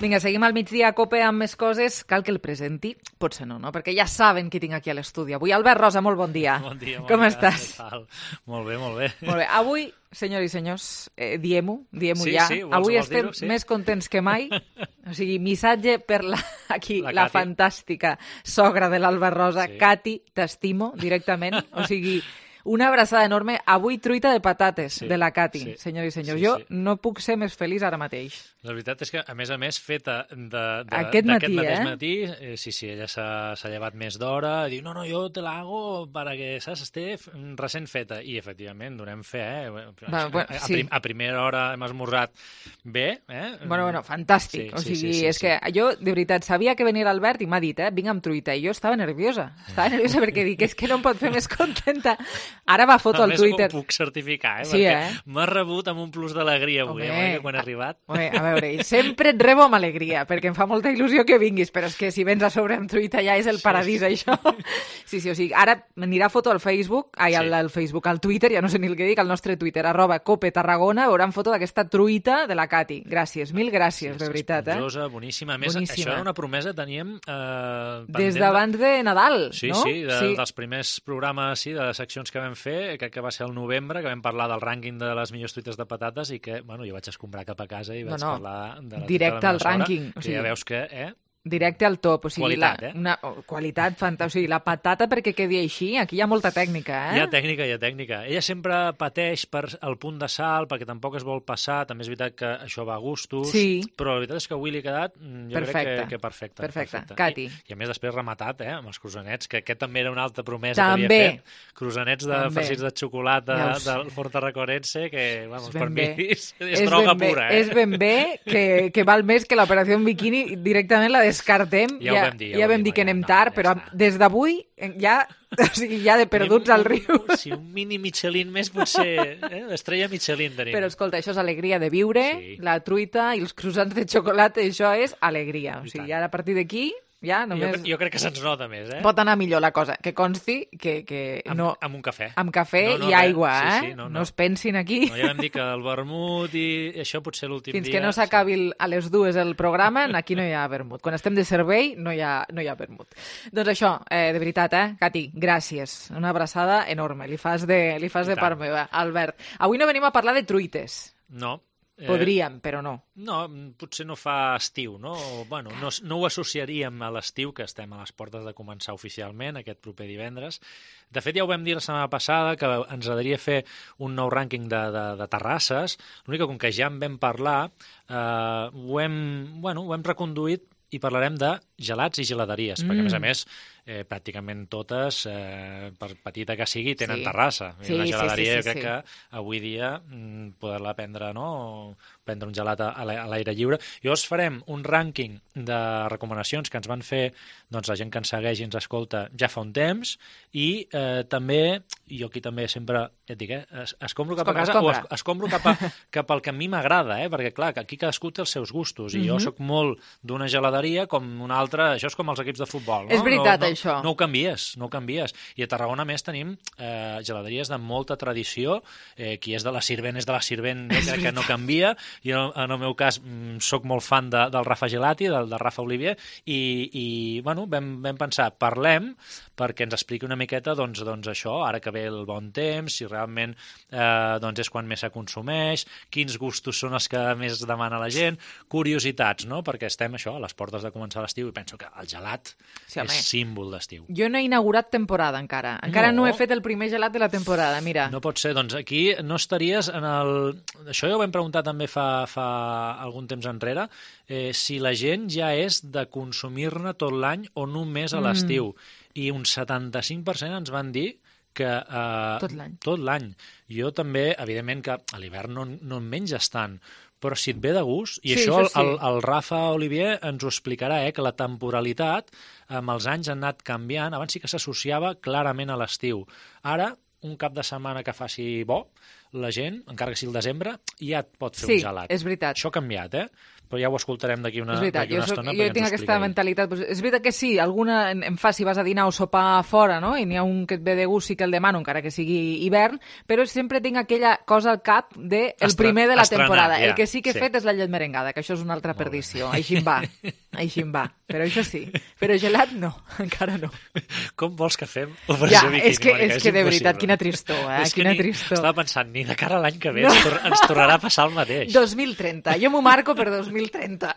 Vinga, seguim al migdia a Cope amb més coses. Cal que el presenti? Potser no, no? Perquè ja saben qui tinc aquí a l'estudi avui. Albert Rosa, molt bon dia. Bon dia, Com bon estàs? Dia. Molt bé, molt bé. Molt bé. Avui, senyors i senyors, eh, diem-ho, diem-ho sí, ja. Sí, avui estem dir-ho, sí. més contents que mai. O sigui, missatge per la, aquí, la, la fantàstica sogra de l'Albert Rosa, sí. Cati, t'estimo directament. O sigui, una abraçada enorme. Avui truita de patates sí, de la Cati, sí, senyors i senyors. Sí, jo sí. no puc ser més feliç ara mateix. La veritat és que, a més a més, feta d'aquest matí, mateix eh? matí, eh, sí, sí, ella s'ha llevat més d'hora, i diu, no, no, jo te la hago para que, saps, esté recent feta. I, efectivament, donem fe, eh? Va, bueno, a, sí. prim, a primera hora hem esmorzat bé, eh? Bueno, bueno, fantàstic. Sí, o sigui, sí, sí, sí, és sí. que jo, de veritat, sabia que venia l'Albert i m'ha dit, eh, vinc amb truita, i jo estava nerviosa. Estava nerviosa perquè dic, és que no em pot fer més contenta. Ara va foto al Twitter. A més, ho puc certificar, eh? Sí, perquè eh? m'ha rebut amb un plus d'alegria avui, eh? Quan he arribat. Home, a veure, sempre et rebo amb alegria, perquè em fa molta il·lusió que vinguis, però és que si vens a sobre amb truita ja és el paradís, sí, sí. això. Sí, sí, o sigui, ara m'anirà foto al Facebook, ai, al, al Facebook, al Twitter, ja no sé ni el que dic, al nostre Twitter, arroba Cope Tarragona, veuran foto d'aquesta truita de la Cati. Gràcies, mil gràcies, sí, de veritat, eh? Esponjosa, boníssima. A més, boníssima. Això era una promesa, teníem... Eh, Des d'abans de Nadal, sí, no? Sí, de, sí, dels primers programes, sí, de les seccions que vam fer, crec que va ser el novembre, que vam parlar del rànquing de les millors truites de patates i que, bueno, jo vaig escombrar cap a casa i vaig no, no. parlar de la directe al rànquing. O sigui, ja veus que, eh? Directe al top, o sigui, qualitat, la, eh? una, oh, qualitat fantàstica, o sigui, la patata perquè quedi així, aquí hi ha molta tècnica, eh? Hi ha tècnica, hi ha tècnica. Ella sempre pateix per el punt de sal, perquè tampoc es vol passar, també és veritat que això va a gustos, sí. però la veritat és que avui li ha quedat, jo perfecte. crec que, que perfecte. Perfecte, perfecte. Cati. I, I a més després rematat, eh, amb els croissanets, que aquest també era una altra promesa també. que havia fet. Croissanets de també. farcits de xocolata ja del Fort Tarraconense, que, vamos, per bé. mi és, és droga ben pura, bé. eh? És ben bé que, que val més que l'operació en biquini, directament la descartem. Ja, ja ho vam dir. Ja, ja vam dir que anem tard, però ja des d'avui ja, o sigui, ja de perduts un, al riu. Si un mini Michelin més potser, eh? L'estrella Michelin tenim. Però escolta, això és alegria de viure, sí. La truita i els croissants de xocolata, això és alegria. O sigui, ara a partir d'aquí... Ja, només... jo, jo crec que se'ns nota més, eh? Pot anar millor la cosa. Que consti que... que amb, no... amb un cafè. Amb cafè no, no, i aigua, sí, eh? Sí, no, no. no es pensin aquí. No, ja vam dir que el vermut i això potser l'últim dia... Fins que no s'acabi sí. a les dues el programa, aquí no hi ha vermut. Quan estem de servei no hi ha, no hi ha vermut. Doncs això, eh, de veritat, eh? Cati, gràcies. Una abraçada enorme. Li fas de, li fas de part meva. Albert, avui no venim a parlar de truites. No. Podríem, però no. No, potser no fa estiu, no? O, bueno, no, no ho associaríem a l'estiu, que estem a les portes de començar oficialment, aquest proper divendres. De fet, ja ho vam dir la setmana passada, que ens agradaria fer un nou rànquing de, de, de terrasses. L'únic que, com que ja en vam parlar, eh, ho, hem, bueno, ho hem reconduït i parlarem de gelats i geladeries, mm. perquè, a més a més, eh, pràcticament totes, eh, per petita que sigui, tenen Sí. terrassa. I Sí, una sí, geladeria sí, sí, jo crec sí. que avui dia mm, poder-la prendre, no?, o prendre un gelat a l'a- a l'aire lliure. Llavors farem un rànquing de recomanacions que ens van fer doncs, la gent que ens segueix i ens escolta ja fa un temps, i eh, també, jo aquí també sempre, ja et dic, eh, es, escombro cap Escombra, a casa escombra. o es, escombro cap, a, cap al que a mi m'agrada, eh? Perquè clar, que aquí cadascú té els seus gustos, i jo Mhm. sóc molt d'una geladeria com una altra, això és com els equips de futbol, no? És veritat, no, no, això. No ho canvies, no ho canvies. I a Tarragona, a més, tenim eh, geladeries de molta tradició, eh, qui és de la Sirvent és de la Sirvent, jo crec que no canvia, i en, en el meu cas mm, sóc molt fan de, del Rafa Gelati, del, del Rafa Olivier, i, i bueno, vam, vam pensar, parlem perquè ens expliqui una miqueta doncs, doncs això, ara que ve el bon temps, si realment eh, doncs és quan més se consumeix, quins gustos són els que més demana la gent, curiositats, no? Perquè estem això, a les portes de començar l'estiu, i penso que el gelat Sí, home. és símbol d'estiu. Jo no he inaugurat temporada encara. Encara no. No. no he fet el primer gelat de la temporada, mira. No pot ser, doncs aquí no estaries en el... Això ja ho vam preguntar també fa, fa algun temps enrere, eh, si la gent ja és de consumir-ne tot l'any o només a l'estiu. Mm. I un setanta-cinc per cent ens van dir que... Eh, Tot l'any. Tot l'any. Jo també, evidentment que a l'hivern no, no en menges tant, però si et ve de gust, i Sí, això, això sí. el, el Rafa Olivier ens ho explicarà, eh, que la temporalitat amb els anys ha anat canviant. Abans sí que s'associava clarament a l'estiu. Ara, un cap de setmana que faci bo, la gent, encara que sigui el desembre, ja et pot fer Sí, un gelat. és veritat. Això ha canviat, eh? Però ja ho escoltarem d'aquí una, És veritat, d'aquí jo, una soc, estona. jo perquè ens tinc ho aquesta explica ell. mentalitat. Pues és veritat que sí, alguna em, em fa si vas a dinar o sopar fora, no? I n'hi ha un que et ve de gust, sí que el demano, encara que sigui hivern, però sempre tinc aquella cosa al cap de el Estre- primer de la estrenar, temporada. ja, El que sí que he sí. fet és la llet merengada, que això és una altra perdició. Així em va, així em va. Però això sí. Però gelat no, encara no. Com vols que fem Ja, operació biquini, és que, Mònica? és que de veritat, impossible. quina tristor, eh? És que Quina ni, tristor. estava pensant, ni de cara a l'any que ve No. ens, tor ens tornarà a passar el mateix. dos mil trenta, jo m'ho marco per dos mil trenta.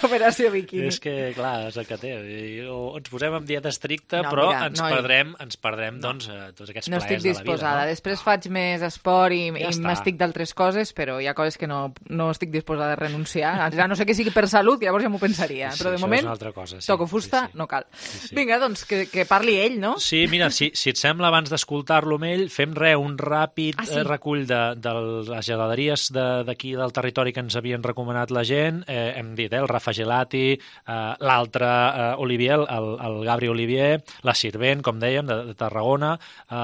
Operació biquini. És que, clar, és el que té. I, o ens posem en dieta estricta, No, però mira, ens, no, perdrem, ens perdrem doncs, eh, tots aquests No plaers estic de la disposada. vida. No? Després faig més esport i, Ja i està. m'estic d'altres coses, però hi ha coses que no, no estic disposada a renunciar. A no sé que sigui per salut, llavors ja m'ho pensaria. Sí, però de això és moment, una altra cosa, sí, toco fusta, sí, sí. no cal. sí. Vinga, doncs, que, que parli ell, no? Sí, mira, si, si et sembla, abans d'escoltar-lo amb ell, fem res, un ràpid Ah, sí? eh, recull de, de les geladeries de- d'aquí del territori que ens havien recomanat la gent. Eh, hem dit, eh, el Rafa Gelati, eh, l'altre eh, Olivier, el, el Gabri Olivier, la Sirvent, com dèiem, de, de Tarragona, eh,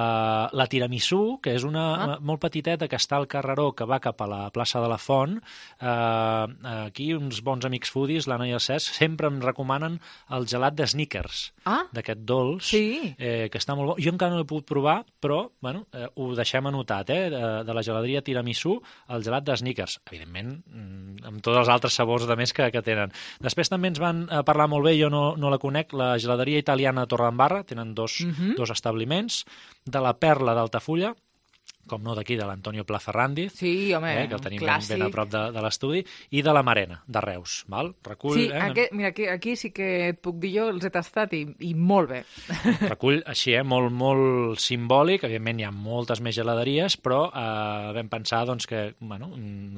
la Tiramisú, que és una Ah. molt petiteta que està al carreró que va cap a la plaça de la Font. Eh, aquí uns bons amics foodies, l'Anna i el Cesc, sempre em recomanen el gelat de Snickers, Ah, d'aquest dolç, sí. eh, que està molt bo. Jo encara no l'he pogut provar, però bueno, eh, ho deixem anotat, eh, de, de la geladeria Tiramisú, el gelat de Snickers, evidentment, mm, amb tots els altres sabors de més que, que tenen. Després també ens van eh, parlar molt bé, jo no, no la conec, la geladeria italiana Torredembarra, tenen dos, Mhm. dos establiments, de la Perla d'Altafulla, com no d'aquí, de l'Antonio Plaferrandiz, Sí, home, eh, que el tenim ben, clàssic. ben a prop de, de l'estudi, i de la Marena, de Reus. Val? Recull, Sí, eh, aquest, mira, aquí, aquí sí que et puc dir jo, els he tastat i, i molt bé. recull així, eh, molt, molt simbòlic. Evidentment hi ha moltes més geladeries, però eh, vam pensar doncs, que bueno,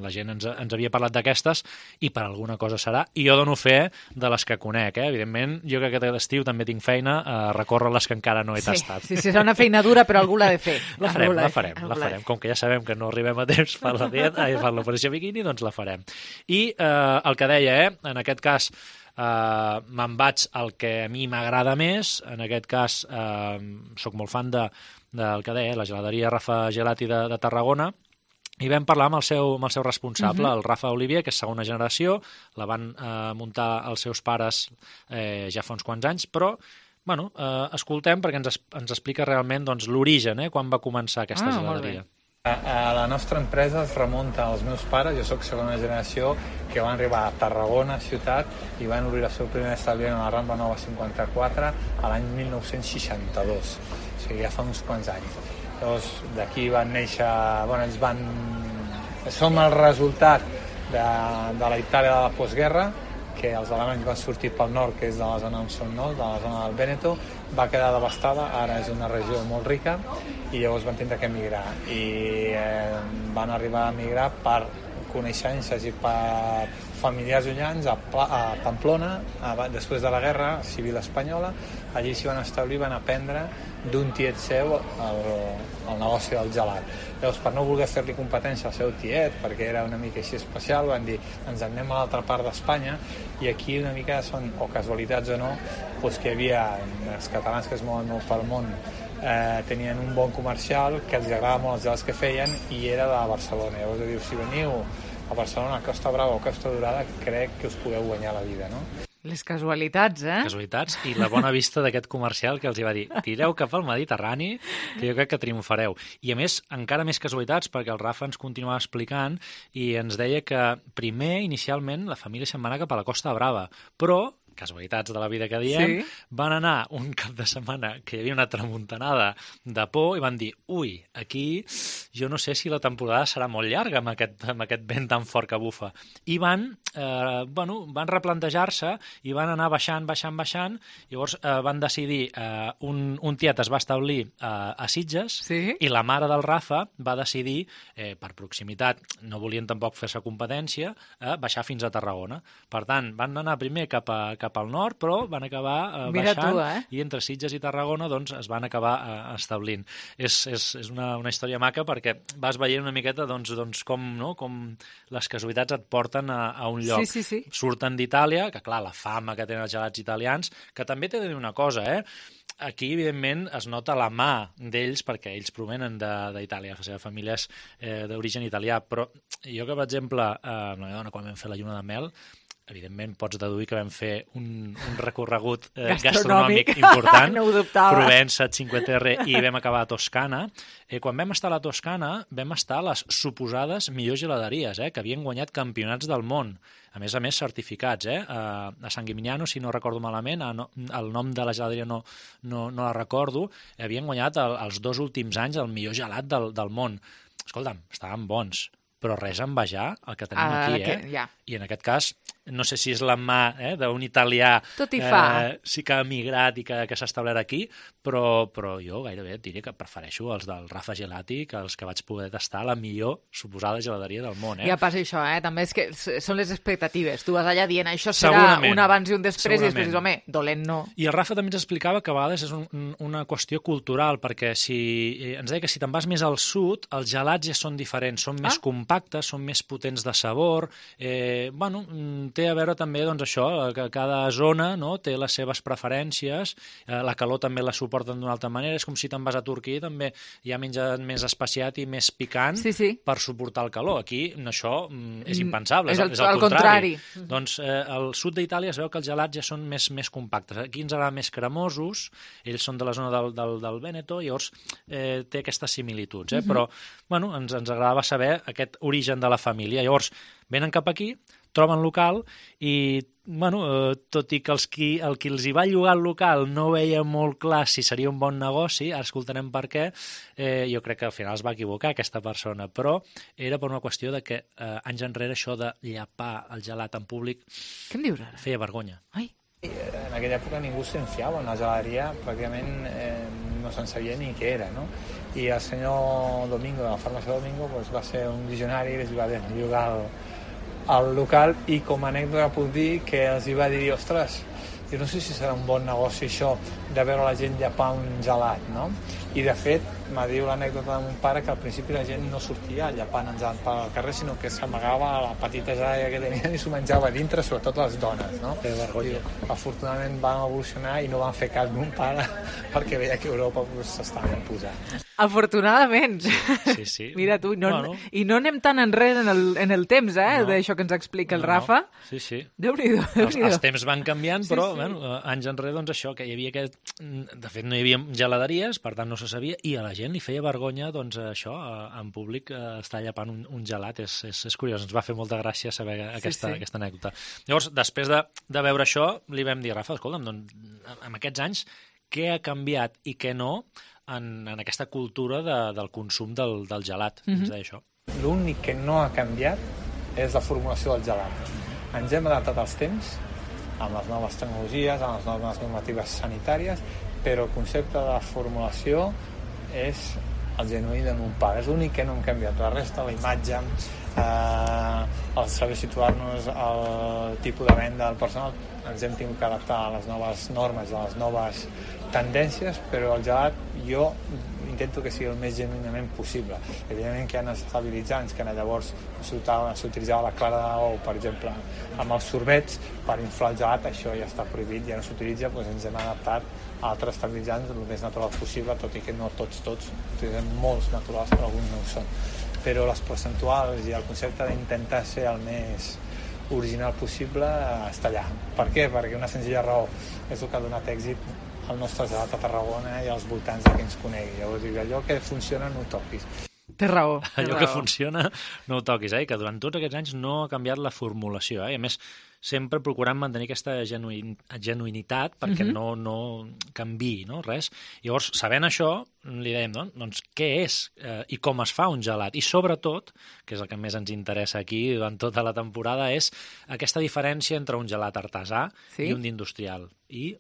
la gent ens, ens havia parlat d'aquestes i per alguna cosa serà. I jo dono fe de les que conec. Eh? Evidentment, jo que aquest estiu també tinc feina a recórrer les que encara no he Sí, tastat. sí, sí, serà una feina dura, però algú l'ha de fer. La Algú farem, l'ha la de fer, farem, algú la l'ha de farem. Com que ja sabem que no arribem a temps per la dieta, ai, per l'operació biquini, doncs la farem. I eh, el que deia, eh, en aquest cas eh, me'n vaig al que a mi m'agrada més, en aquest cas eh, sóc molt fan de, del que deia, la geladeria Rafa Gelati de, de Tarragona, i vam parlar amb el seu, amb el seu responsable, Mhm. el Rafa Olivier, que és segona generació, la van eh, muntar els seus pares eh, ja fa uns quants anys, però bueno, eh, escoltem perquè ens, es, ens explica realment doncs, l'origen, eh, quan va començar aquesta Ah, molt geladeria. A, a la nostra empresa es remunta als meus pares, jo sóc segona generació, que van arribar a Tarragona, ciutat, i van obrir el seu primer establiment a la Rambla Nova cinquanta-quatre a l'any mil nou-cents seixanta-dos, o sigui, ja fa uns quants anys. Llavors, d'aquí van néixer, bueno, ells van... Som el resultat de, de la Itàlia de la postguerra, que els alemanys van sortir pel nord, que és de la zona on som nous, de la zona del Vèneto, va quedar devastada, ara és una regió molt rica, i llavors van tindre que emigrar. I eh, van arribar a emigrar per coneixences i per familiars llunyans a, Pla, a Pamplona, a, després de la Guerra Civil Espanyola. Allí s'hi van establir, van aprendre d'un tiet seu el, el negoci del gelat. Llavors, per no voler fer-li competència al seu tiet, perquè era una mica així especial, van dir, ens en anem a l'altra part d'Espanya, i aquí una mica són, o casualitats o no, doncs que hi havia els catalans que es mouen molt pel món, eh, tenien un bon comercial que els agrada molt els gelats que feien, i era de Barcelona. Llavors diu, si veniu a Barcelona, a Costa Brava o Costa Dorada, crec que us podeu guanyar la vida, no? Les casualitats, eh? Casualitats i la bona vista d'aquest comercial que els hi va dir, tireu cap al Mediterrani, que jo crec que triomfareu. I a més, encara més casualitats, perquè el Rafa ens continuava explicant i ens deia que primer, inicialment, la família se'n va anar cap a la Costa Brava, però casualitats de la vida que diem, sí. Van anar un cap de setmana que hi havia una tramuntanada de por i van dir, ui, aquí jo no sé si la temporada serà molt llarga amb aquest, amb aquest vent tan fort que bufa. I van, eh, bueno, van replantejar-se i van anar baixant, baixant, baixant, llavors eh, van decidir, eh, un, un tiet es va establir eh, a Sitges, sí. I la mare del Rafa va decidir, eh, per proximitat, no volien tampoc fer-se competència, eh, baixar fins a Tarragona. Per tant, van anar primer cap a cap al nord, però van acabar eh, baixant, tu, eh? I entre Sitges i Tarragona doncs, es van acabar eh, establint. És, és, és una, una història maca perquè vas veient una miqueta doncs, doncs, com, no? Com les casualitats et porten a, a un lloc. Sí, sí, sí. Surten d'Itàlia, que clar, la fama que tenen els gelats italians, que també t'he de dir una cosa, eh? Aquí, evidentment, es nota la mà d'ells perquè ells provenen d'Itàlia, la seva família és eh, d'origen italià, però jo que, per exemple, eh, amb la meva dona, quan vam fer la lluna de mel, evidentment pots deduir que vam fer un, un recorregut eh, gastronòmic, gastronòmic important, no Provença, Cinque Terre, i vam acabar a Toscana. Eh, quan vam estar a la Toscana, vam estar a les suposades millors geladeries, eh, que havien guanyat campionats del món, a més a més certificats, eh? A, a San Gimignano, si no recordo malament, a no, el nom de la geladeria no, no, no la recordo, havien guanyat el, els dos últims anys el millor gelat del, del món. Escolta'm, estaven bons, però res a envejar el que tenim ah, aquí, que, eh? Ja. I en aquest cas, no sé si és la mà eh, d'un italià Tot hi fa. Eh, sí que ha emigrat i que, que s'ha establert aquí, però, però jo gairebé et diria que prefereixo els del Rafa Gelati que els que vaig poder tastar la millor suposada geladeria del món. Eh? Ja passa això, eh? També és que són les expectatives. Tu vas allà dient això serà un abans i un després i després dius, home, dolent no. I el Rafa també ens explicava que a vegades és un, una qüestió cultural, perquè si ens deia que si te'n vas més al sud, els gelats ja són diferents, són ah? més compactes, són més potents de sabor, eh, bueno, té a veure també doncs, això, que cada zona no, té les seves preferències, eh, la calor també la suporten d'una altra manera, és com si te'n vas a Turquia també hi ha menjat més especiat i més picant sí, sí. per suportar el calor. Aquí això és impensable, és, el, és el, el contrari. contrari. Doncs eh, al sud d'Itàlia es veu que els gelats ja són més, més compactes. Aquí ens agraden més cremosos, ells són de la zona del, del, del Vèneto, llavors eh, té aquestes similituds, eh? Uh-huh. Però bueno, ens, ens agradava saber aquest origen de la família. Llavors, venen cap aquí, troben local i, bueno, eh, tot i que els qui, el qui els hi va llogar el local no veia molt clar si seria un bon negoci, ara escoltarem per què, eh, jo crec que al final es va equivocar aquesta persona, però era per una qüestió de que eh, anys enrere això de llapar el gelat en públic què em dius ara? Feia vergonya. Ai. En aquella època ningú se'n fiava, una geladeria pràcticament eh, no se'n sabia ni què era, no? I el senyor Domingo, de la farmàcia Domingo, pues, va ser un visionari i els va llogar el, el local, i com a anècdota puc dir que els hi va dir, ostres, jo no sé si serà un bon negoci això de veure la gent llapar un gelat, no? I de fet, m'ha dit l'anècdota de mon pare que al principi la gent no sortia llapant en gelat pel carrer, sinó que s'amagava a la petita geladeria que tenien i s'ho menjava a dintre, sobretot les dones, no? Que vergonya. I, afortunadament van evolucionar i no van fer cas mon pare perquè veia que Europa s'estava pues, posant. Afortunadament. Sí, sí. Mira tu, no, bueno. I no anem tan enrere en el, en el temps, eh, no. d'això que ens explica el no, Rafa. No. Sí, sí. Déu-n'hi-do, Déu-n'hi-do. Els, els temps van canviant, sí, però sí. Bueno, anys enrere, doncs això, que hi havia aquest... De fet, no hi havia geladeries, per tant no se sabia, i a la gent li feia vergonya, doncs això, en públic, estar llapant un, un gelat. És, és, és curiós, ens va fer molta gràcia saber aquesta, sí, sí. aquesta anècdota. Llavors, després de, de veure això, li vam dir, Rafa, escolta'm, doncs, en aquests anys, què ha canviat i què no en, en aquesta cultura de, del consum del, del gelat? Mm-hmm. Ens deia això. L'únic que no ha canviat és la formulació del gelat. Ens hem adaptat als temps, amb les noves tecnologies, amb les noves normatives sanitàries, però el concepte de la formulació és el genuí de mon pare. És l'únic que no hem canviat. La resta, la imatge, eh, al saber situar-nos al tipus de venda del personal, ens hem tingut que adaptar a les noves normes, a les noves tendències, però el gelat jo intento que sigui el més genuïnament possible. Evidentment que hi ha estabilitzants, que llavors s'utilitzava la clara d'ou, per exemple, amb els sorbets per inflar el gelat, això ja està prohibit, ja no s'utilitza, doncs ens hem adaptat a altres estabilitzants el més natural possible, tot i que no tots, tots, utilitzem molts naturals, però alguns no ho són. Però les percentuals i el concepte d'intentar ser el més original possible està allà. Per què? Perquè una senzilla raó és el que ha donat èxit al nostre gelat a Tarragona i als voltants de que ens conegui. Llavors, allò que funciona no ho toquis. Té raó. Té allò raó. que funciona no ho toquis, eh? Que durant tots aquests anys no ha canviat la formulació, eh? I a més, sempre procurant mantenir aquesta genuïn, genuïnitat perquè uh-huh. no, no canviï, no? Res. Llavors, sabent això, li dèiem, no? Doncs què és eh, i com es fa un gelat? I sobretot, que és el que més ens interessa aquí durant tota la temporada, és aquesta diferència entre un gelat artesà sí? i un d'industrial. I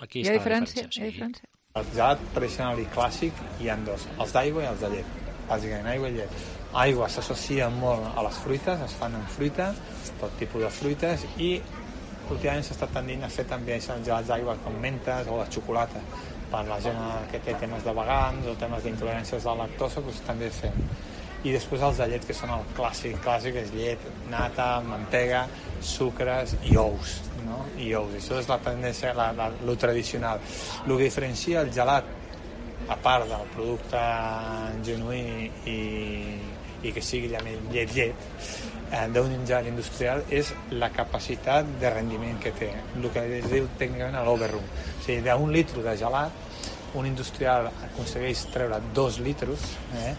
aquí hi ha està diferència? la diferència. Hi ha diferència? El gelat tradicional i clàssic hi ha dos, els d'aigua i els de llet. Bàsicament, aigua i llet. Aigua s'associa molt a les fruites, es fan amb fruita, tot tipus de fruites, i últimament s'està tendint a fer també gelats d'aigua com mentes o de xocolata. Per la gent que té temes de vegans o temes d'intoleràncies de lactosa, doncs també fem. I després els de llet, que són el clàssic, clàssic és llet, nata, mantega, sucres i ous, no? I ous. Això és la tendència, la, la, lo tradicional. El que diferencia el gelat, a part del producte genuí i, i que sigui llet-llet, eh, d'un gelat industrial, és la capacitat de rendiment que té, el que es diu tècnicament l'overroom. O sigui, d'un litre de gelat, un industrial aconsegueix treure dos litres, eh,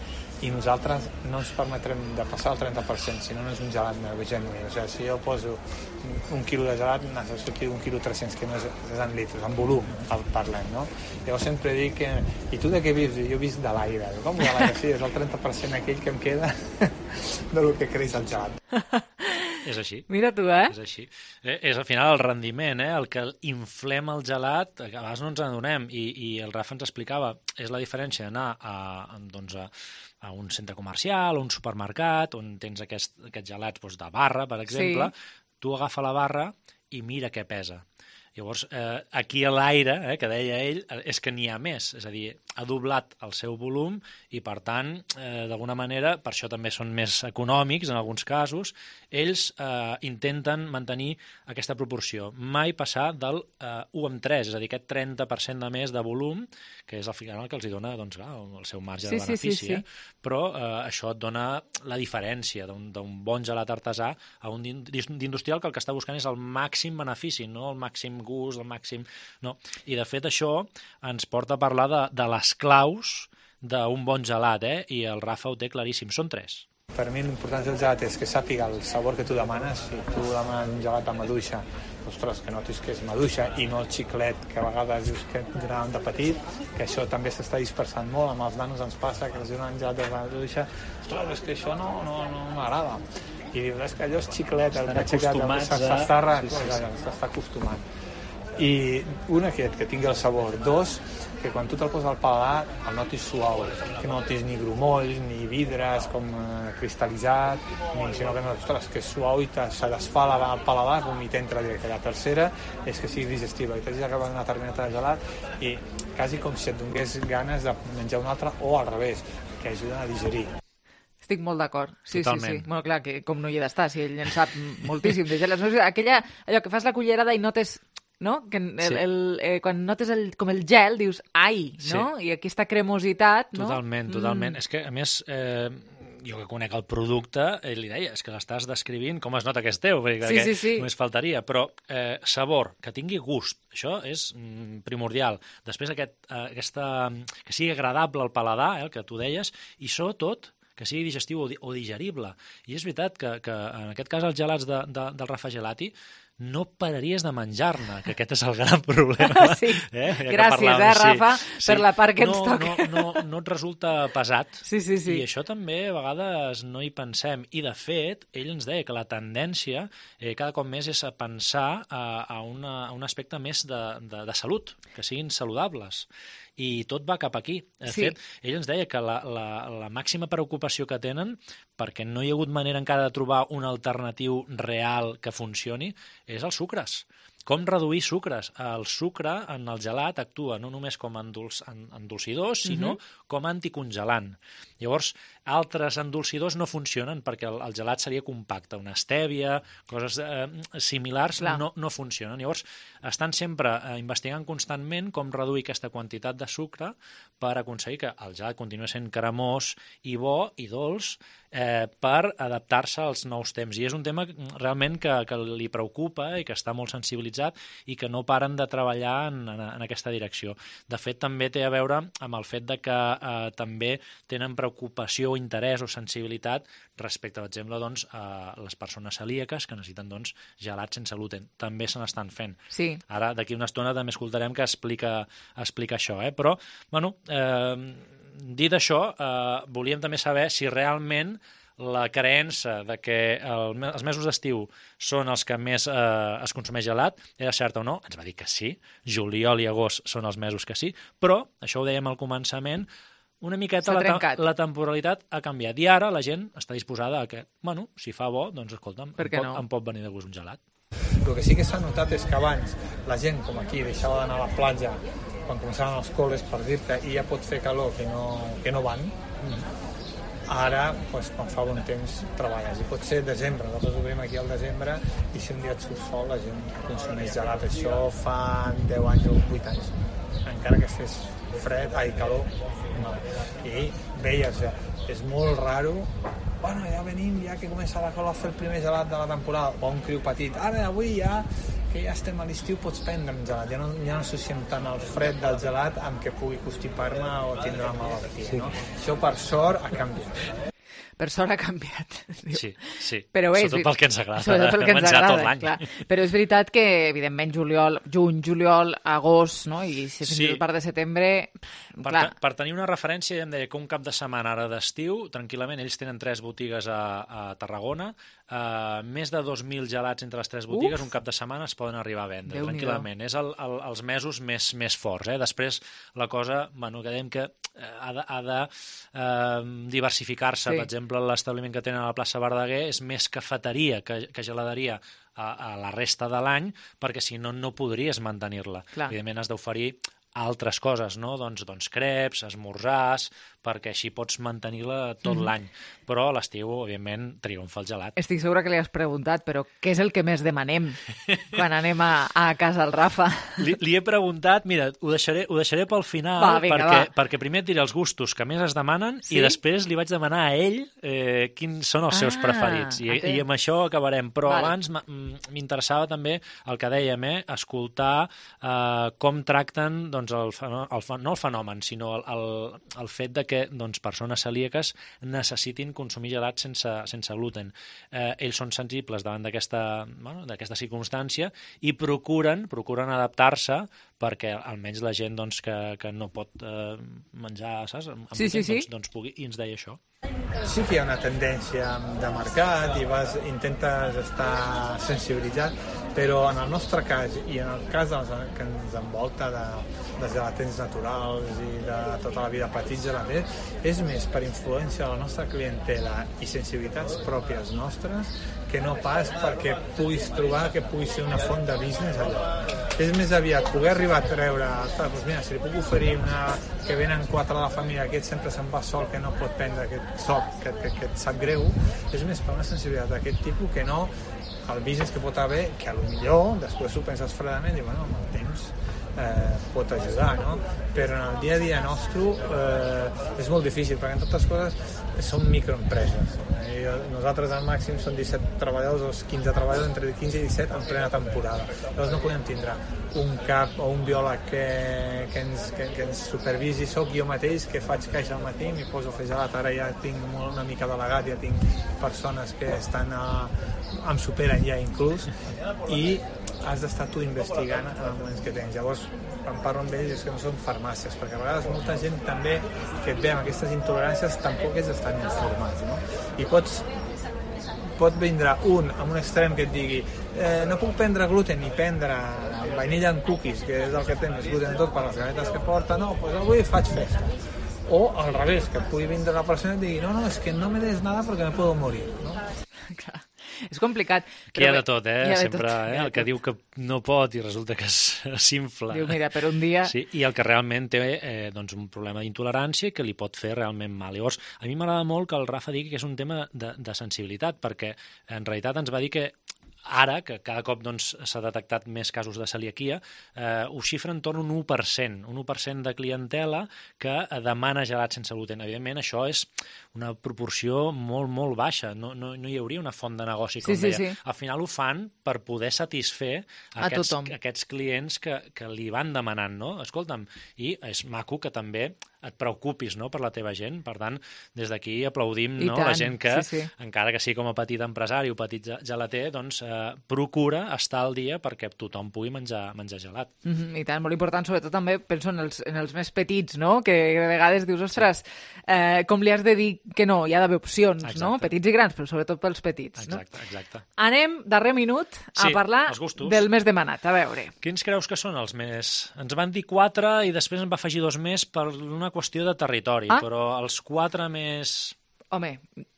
i nosaltres no ens permetrem de passar el trenta per cent, si no no és un gelat genuí. O sigui, si jo poso un quilo de gelat, necessito un quilo tres-cents, que no és, és en litres, en volum el parlem, no? Llavors sempre dic que... I tu de què vius? Jo visc de l'aire. Com de l'aire? Sí, és el trenta per cent aquell que em queda del que creix el gelat. És així. Mira tu, eh? És així. Eh, és al final el rendiment, eh? El que inflem el gelat, a vegades no ens n'adonem, i, i el Rafa ens explicava, és la diferència d'anar a, doncs a, a un centre comercial, a un supermercat, on tens aquest, aquests gelats doncs, de barra, per exemple, sí. Tu agafa la barra i mira què pesa. Llavors, eh, aquí a l'aire, eh, que deia ell, és que n'hi ha més, és a dir, ha doblat el seu volum i, per tant, eh, d'alguna manera, per això també són més econòmics en alguns casos, ells eh, intenten mantenir aquesta proporció, mai passar del eh, u amb tres, és a dir, aquest trenta per cent de més de volum, que és al final el que els hi dona doncs, clar, el seu marge sí, de benefici, sí, sí, sí. Eh? Però eh, això et dona la diferència d'un bon gelat artesà a un d'industrial que el que està buscant és el màxim benefici, no el màxim gust, el màxim... No. I, de fet, això ens porta a parlar de, de les claus d'un bon gelat, eh? I el Rafa ho té claríssim. Són tres. Per mi l'importància del gelat és que sàpiga el sabor que tu demanes. Si tu demanes un gelat amb maduixa, ostres, que notis que és maduixa i no el xiclet que a vegades dius que donaven de petit, que això també s'està dispersant molt. Amb els nanos ens passa que els donen gelat de maduixa, ostres, és que això no, no, no m'agrada. I dius, és que allò és xiclet, el que s'està sí, sí, sí. acostumant. I un aquest, que tingui el sabor. Dos, que quan tu te'l poses al paladar el notis suau, que no notis ni grumolls, ni vidres com eh, cristal·litzat, ni, sinó que no, ostres, que és suau i se desfà al paladar com i t'entra directe. La tercera és que sigui digestiva, i t'hagis acabat una tarmineta de gelat i quasi com si et donés ganes de menjar un altre, o al revés, que ajuden a digerir. Estic molt d'acord. Sí, Totalment. sí, sí. Bueno, clar, que com no hi ha d'estar, si ell en sap moltíssim de gelats. Aquella, allò que fas la cullerada i notes... No? Que el, sí. el, eh, quan notes el, com el gel, dius, ai, no? Sí. I aquesta cremositat, no? Totalment, totalment. Mm. És que, a més, eh, jo que conec el producte, eh, li deia, és que l'estàs descrivint com es nota que és teu, perquè sí, sí, sí. només faltaria. Però eh, sabor, que tingui gust, això és mm, primordial. Després aquest, eh, aquesta, que sigui agradable al paladar, eh, el que tu deies, i sobretot que sigui digestiu o, di o digerible. I és veritat que, que en aquest cas els gelats de, de, del Rafa Gelati no pararies de menjar-ne, que aquest és el gran problema. Sí. Eh? Ja Gràcies, eh, Rafa, sí, per sí. la part que no, ens toca. No, no, no et resulta pesat. Sí, sí, sí. I això també a vegades no hi pensem. I, de fet, ell ens deia que la tendència eh, cada cop més és a pensar a, a, una, a un aspecte més de, de, de salut, que siguin saludables. I tot va cap aquí. De sí. fet, ell ens deia que la, la, la màxima preocupació que tenen perquè no hi ha hagut manera encara de trobar un alternatiu real que funcioni, és els sucres. Com reduir sucres? El sucre en el gelat actua no només com a endolç, endolcidor, sinó uh-huh. com a anticongelant. Llavors, altres endolcidors no funcionen perquè el, el gelat seria compacte. Una estèvia, coses eh, similars no, no funcionen. Llavors, estan sempre eh, investigant constantment com reduir aquesta quantitat de sucre per aconseguir que el gelat continui sent cremós i bo i dolç eh, per adaptar-se als nous temps. I és un tema realment que, que li preocupa i que està molt sensibilitzat i que no paren de treballar en, en, en aquesta direcció. De fet, també té a veure amb el fet de que eh, també tenen preocupació, interès o sensibilitat respecte, per exemple, doncs, a les persones celíaques que necessiten doncs, gelat sense gluten. També se n'estan fent. Sí. Ara, d'aquí una estona, també escoltarem que explica, explica això. Eh? Però, bueno, eh, dit això, eh, volíem també saber si realment la creença de que el, els mesos d'estiu són els que més eh, es consumeix gelat era certa o no? Ens va dir que sí. Juliol i agost són els mesos que sí. Però, això ho dèiem al començament, una miqueta la, la temporalitat ha canviat. I ara la gent està disposada a que, bueno, si fa bo, doncs escolta'm, em pot, no? em pot venir de gust un gelat. El que sí que s'ha notat és que abans la gent, com aquí, deixava d'anar a la platja quan començaven els col·les per dir-te i ja pot fer calor que no, que no van. Mm. Ara, doncs, quan fa bon temps, treballes. I pot ser desembre, nosaltres obrim aquí al desembre i si un dia et surt sol la gent consumeix gelat. Això fa deu anys o vuit anys. Encara que fes fred, ai, calor, no. I veies, ja, és molt raro, bueno, ja venim, ja que comença la cola a fer el primer gelat de la temporada, o un criu petit, ara avui ja, que ja estem a l'estiu, pots prendre un gelat, ja no, ja no associem tant el fred del gelat amb que pugui constipar-me o tindre una malaltia, sí. No? Això per sort ha canviat. Per sort ha canviat. Sí, sí. Però és, sobretot pel que ens agrada. Sobretot pel que ens menjar agrada, tot l'any. clar. Però és veritat que, evidentment, juliol, juny, juliol, agost, no? I si fins i tot part de setembre... Per, clar. per tenir una referència, em deia que un cap de setmana ara d'estiu, tranquil·lament, ells tenen tres botigues a, a Tarragona, uh, més de dos mil gelats entre les tres botigues, Uf. un cap de setmana es poden arribar a vendre, Déu tranquil·lament. És el, el, els mesos més, més forts. Eh? Després, la cosa, bueno, que dèiem que ha de, ha de uh, diversificar-se. Sí. Per exemple, l'establiment que tenen a la plaça Verdaguer és més cafeteria que, que geladeria a, a la resta de l'any, perquè si no, no podries mantenir-la. Evidentment, has d'oferir altres coses, no? Doncs, doncs creps, esmorzars, perquè així pots mantenir-la tot mm-hmm. l'any. Però a l'estiu, òbviament, triomfa el gelat. Estic segura que li has preguntat, però què és el que més demanem quan anem a, a casa al Rafa? Li, li he preguntat, mira, ho deixaré, ho deixaré pel final, va, vinga, perquè, va. perquè primer et diré els gustos que més es demanen sí? i després li vaig demanar a ell eh, quins són els ah, seus preferits. I, okay. I amb això acabarem. Però vale. abans m'interessava també el que dèiem, eh, escoltar eh, com tracten doncs, el, el, no el fenomen, sinó el, el, el fet de que doncs, persones celíaques necessitin consumir gelat sense, sense gluten. Eh, ells són sensibles davant d'aquesta bueno, d'aquesta circumstància i procuren, procuren adaptar-se perquè almenys la gent doncs, que, que no pot eh, menjar, saps? Amb sí, sí, sí. Doncs, doncs pugui, i ens deia això. Sí que hi ha una tendència de mercat i vas, intentes estar sensibilitzat, però en el nostre cas i en el cas dels que ens envolta de, de gelatins naturals i de tota la vida petits gelaters, és més per influència de la nostra clientela i sensibilitats pròpies nostres que no pas perquè puguis trobar que pugui ser una font de business allò. És més aviat poder arribar a treure, ostres, doncs mira, si li puc oferir una que venen quatre de la família, aquest sempre se'n va sol, que no pot prendre aquest sol, que, que, que et sap greu, és més per una sensibilitat d'aquest tipus que no el business que pot haver, que a lo millor després ho penses fredament i bueno, amb el temps eh, pot ajudar, no? Però en el dia a dia nostre eh, és molt difícil, perquè en totes coses són microempreses. Eh, nosaltres al màxim són disset treballadors o quinze treballadors, entre quinze i disset en plena temporada. Llavors no podem tindre un cap o un biòleg que, que, ens, que, que ens supervisi. Soc jo mateix que faig caixa al matí, m'hi poso a fer gelat, ara ja tinc molt, una mica delegat, ja tinc persones que estan a, em superen ja inclús, i has d'estar tu investigant en els moments que tens. Llavors, quan parlo amb ells és que no són farmàcies, perquè a vegades molta gent també que et ve amb aquestes intoleràncies tampoc és estan informats, no? I pots pot vindre un amb un extrem que et digui eh, no puc prendre gluten ni prendre vainilla en cookies, que és el que té més gluten tot per les galetes que porta, no, doncs avui faig festa. o al revés, que pugui vindre la persona i digui no, no, és que no me des nada perquè me puedo morir, no? Clar. És complicat. Aquí hi ha de tot, eh? De Sempre, tot. eh? El que diu que no pot i resulta que s'infla. Diu, mira, per un dia... Sí, i el que realment té eh, doncs un problema d'intolerància que li pot fer realment mal. Llavors, a mi m'agrada molt que el Rafa digui que és un tema de, de sensibilitat, perquè en realitat ens va dir que ara, que cada cop doncs, s'ha detectat més casos de celiaquia, eh, ho xifra en torn un u per cent, un u per cent de clientela que demana gelat sense gluten. Evidentment, això és una proporció molt, molt baixa. No, no, no hi hauria una font de negoci, com sí, sí, deia. Sí. Al final ho fan per poder satisfer a aquests, tothom. aquests clients que, que li van demanant, no? Escolta'm, i és maco que també et preocupis, no?, per la teva gent. Per tant, des d'aquí aplaudim, no?, la gent que, sí, sí. encara que sigui com a petit empresari o petit gelater, doncs eh, procura estar al dia perquè tothom pugui menjar, menjar gelat. Mm-hmm, I tant, molt important, sobretot també penso en els, en els més petits, no?, que de vegades dius, ostres, eh, com li has de dir que no? Hi ha d'haver opcions, exacte. No?, petits i grans, però sobretot pels petits. Exacte, no? exacte. Anem, darrer minut, a sí, parlar del més demanat. A veure. Quins creus que són els més... Ens van dir quatre i després en va afegir dos més per una qüestió de territori, ah? però els quatre més... Home,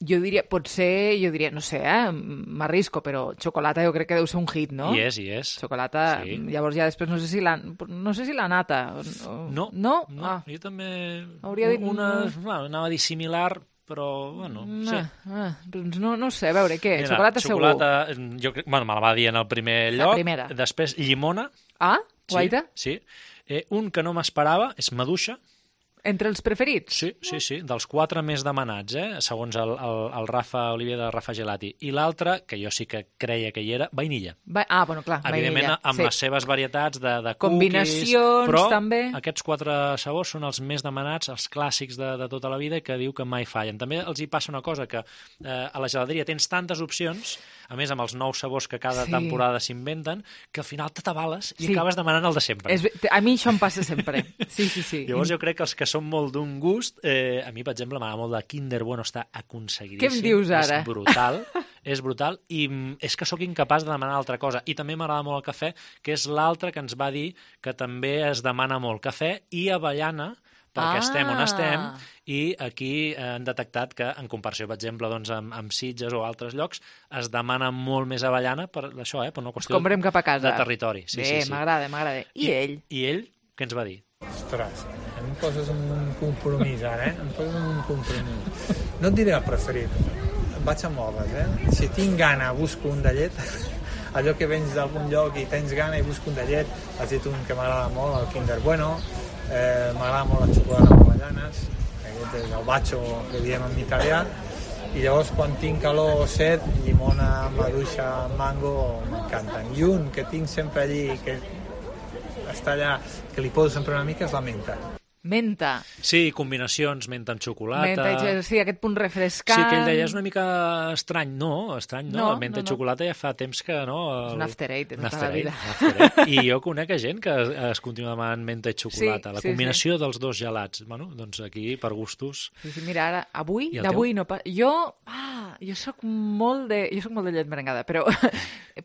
jo diria, potser, jo diria, no sé, eh, m'arrisco, però xocolata jo crec que deu ser un hit, no? I és, i és. Xocolata, sí. Llavors ja després no sé si la, no sé si la nata... O... No, no, no ah. jo també... Hauria dit... Una, bueno, anava a dir similar, però, bueno, no, sí. Ah, doncs no, no sé, a veure, què? Mira, xocolata, xocolata segur. Jo, bueno, me la va dir en el primer lloc. La primera. Després, llimona. Ah, guaita. Sí, sí. Eh, un que no m'esperava és maduixa. Entre els preferits? Sí, sí, sí, dels quatre més demanats, eh? Segons el, el, el Rafa Oliver de Rafa Gelati. I l'altre, que jo sí que creia que hi era, vainilla. Va... Ah, bueno, clar, evidentment, vainilla. amb sí. les seves varietats de, de combinacions, cookies, però també. Aquests quatre sabors són els més demanats, els clàssics de, de tota la vida, que diu que mai fallen. També els hi passa una cosa, que eh, a la gelateria tens tantes opcions, a més amb els nous sabors que cada sí. temporada s'inventen, que al final t'atabales i sí. acabes demanant el de sempre. És, a mi això em passa sempre. Sí, sí, sí. Llavors jo crec que els que són molt d'un gust, eh, a mi, per exemple, m'agrada molt de Kinder Bueno, està aconseguidíssim. Què em dius ara? És brutal, és brutal, i és que sóc incapaç de demanar altra cosa. I també m'agrada molt el cafè, que és l'altre que ens va dir que també es demana molt. Cafè i avellana, perquè ah. estem on estem, i aquí han detectat que, en comparació, per exemple, doncs, amb, amb Sitges o altres llocs, es demana molt més avellana per això, eh, per una qüestió cap a casa. de territori. Sí, Bé, sí, sí. m'agrada, m'agrada. I, I ell? I ell, què ens va dir? Ostres, em poses un compromís ara, eh? Em poses un compromís. No et diré el preferit, vaig a modes, eh? Si tinc gana, busco un de llet, allò que vens d'algun lloc i tens gana i busco un de llet, has dit un que m'agrada molt, el Kinder Bueno, eh, m'agrada molt la xocolata amb avellanes, aquest és el bacio que diem en italià, i llavors quan tinc calor o set, llimona, maduixa, mango, m'encanten. I un que tinc sempre allí, que està allà, que li poso sempre una mica, és la menta. Menta. Sí, combinacions, menta amb xocolata. Menta, sí, aquest punt refrescant. Sí, que ell deia, és una mica estrany. No, estrany no, no la menta no, i xocolata ja fa temps que no... El... És un after eight de tota la vida. I jo conec gent que es, es continua demanant menta i xocolata. Sí, la combinació sí, sí. dels dos gelats. Bueno, doncs aquí, per gustos... Sí, sí, mira, ara, avui, d'avui no... Jo, ah, jo soc molt de... Jo soc molt de llet merengada, però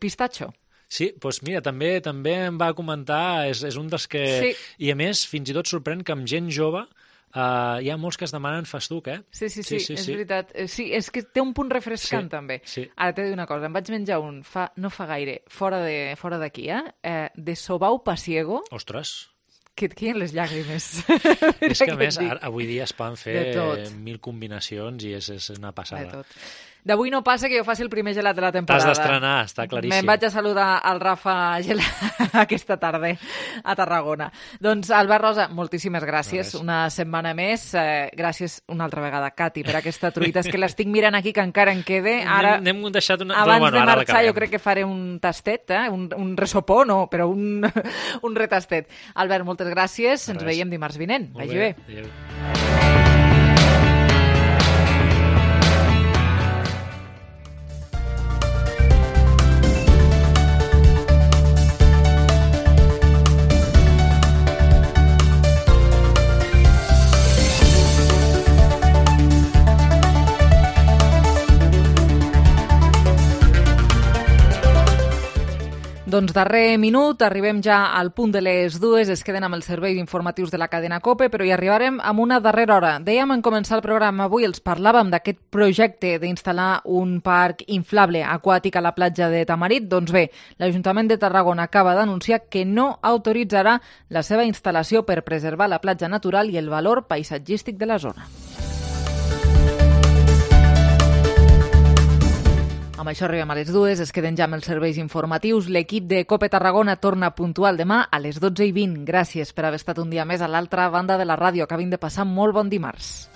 pistatxo. Sí, doncs mira, també també em va comentar, és, és un dels que... Sí. I a més, fins i tot sorprèn que amb gent jove uh, hi ha molts que es demanen festuc, eh? Sí, sí, sí, sí, sí és sí. veritat. Sí, és que té un punt refrescant, sí, també. Sí. Ara t'he de dir una cosa, em vaig menjar un, fa, no fa gaire, fora de fora d'aquí, eh? eh? De sobau pasiego. Ostres! Que et queden les llàgrimes. És que, a més, ara, avui dia es poden fer mil combinacions i és, és una passada. De tot. D'avui no passa que jo faci el primer gelat de la temporada. T'has d'estrenar, està claríssim. Me'n vaig a saludar al Rafa Gelat aquesta tarda a Tarragona. Doncs, Albert Rosa, moltíssimes gràcies. No, una setmana més. Eh, gràcies una altra vegada, Cati, per aquesta truita. És que l'estic mirant aquí, que encara en quede. Ara, n'hem deixat una... Abans bueno, de marxar, jo crec que faré un tastet, eh? un, un resopó, no, però un, un retastet. Albert, moltes gràcies. Ens veiem dimarts vinent. Vagi bé. Adéu. Doncs darrer minut, arribem ja al punt de les dues, es queden amb els serveis informatius de la cadena COPE, però hi arribarem amb una darrera hora. Dèiem en començar el programa avui, els parlàvem d'aquest projecte d'instal·lar un parc inflable aquàtic a la platja de Tamarit. Doncs bé, l'Ajuntament de Tarragona acaba d'anunciar que no autoritzarà la seva instal·lació per preservar la platja natural i el valor paisatgístic de la zona. Amb això arribem a les dues, es queden ja amb els serveis informatius. L'equip de COPE Tarragona torna puntual demà a les dotze i vint. Gràcies per haver estat un dia més a l'altra banda de la ràdio. Acabin de passar molt bon dimarts.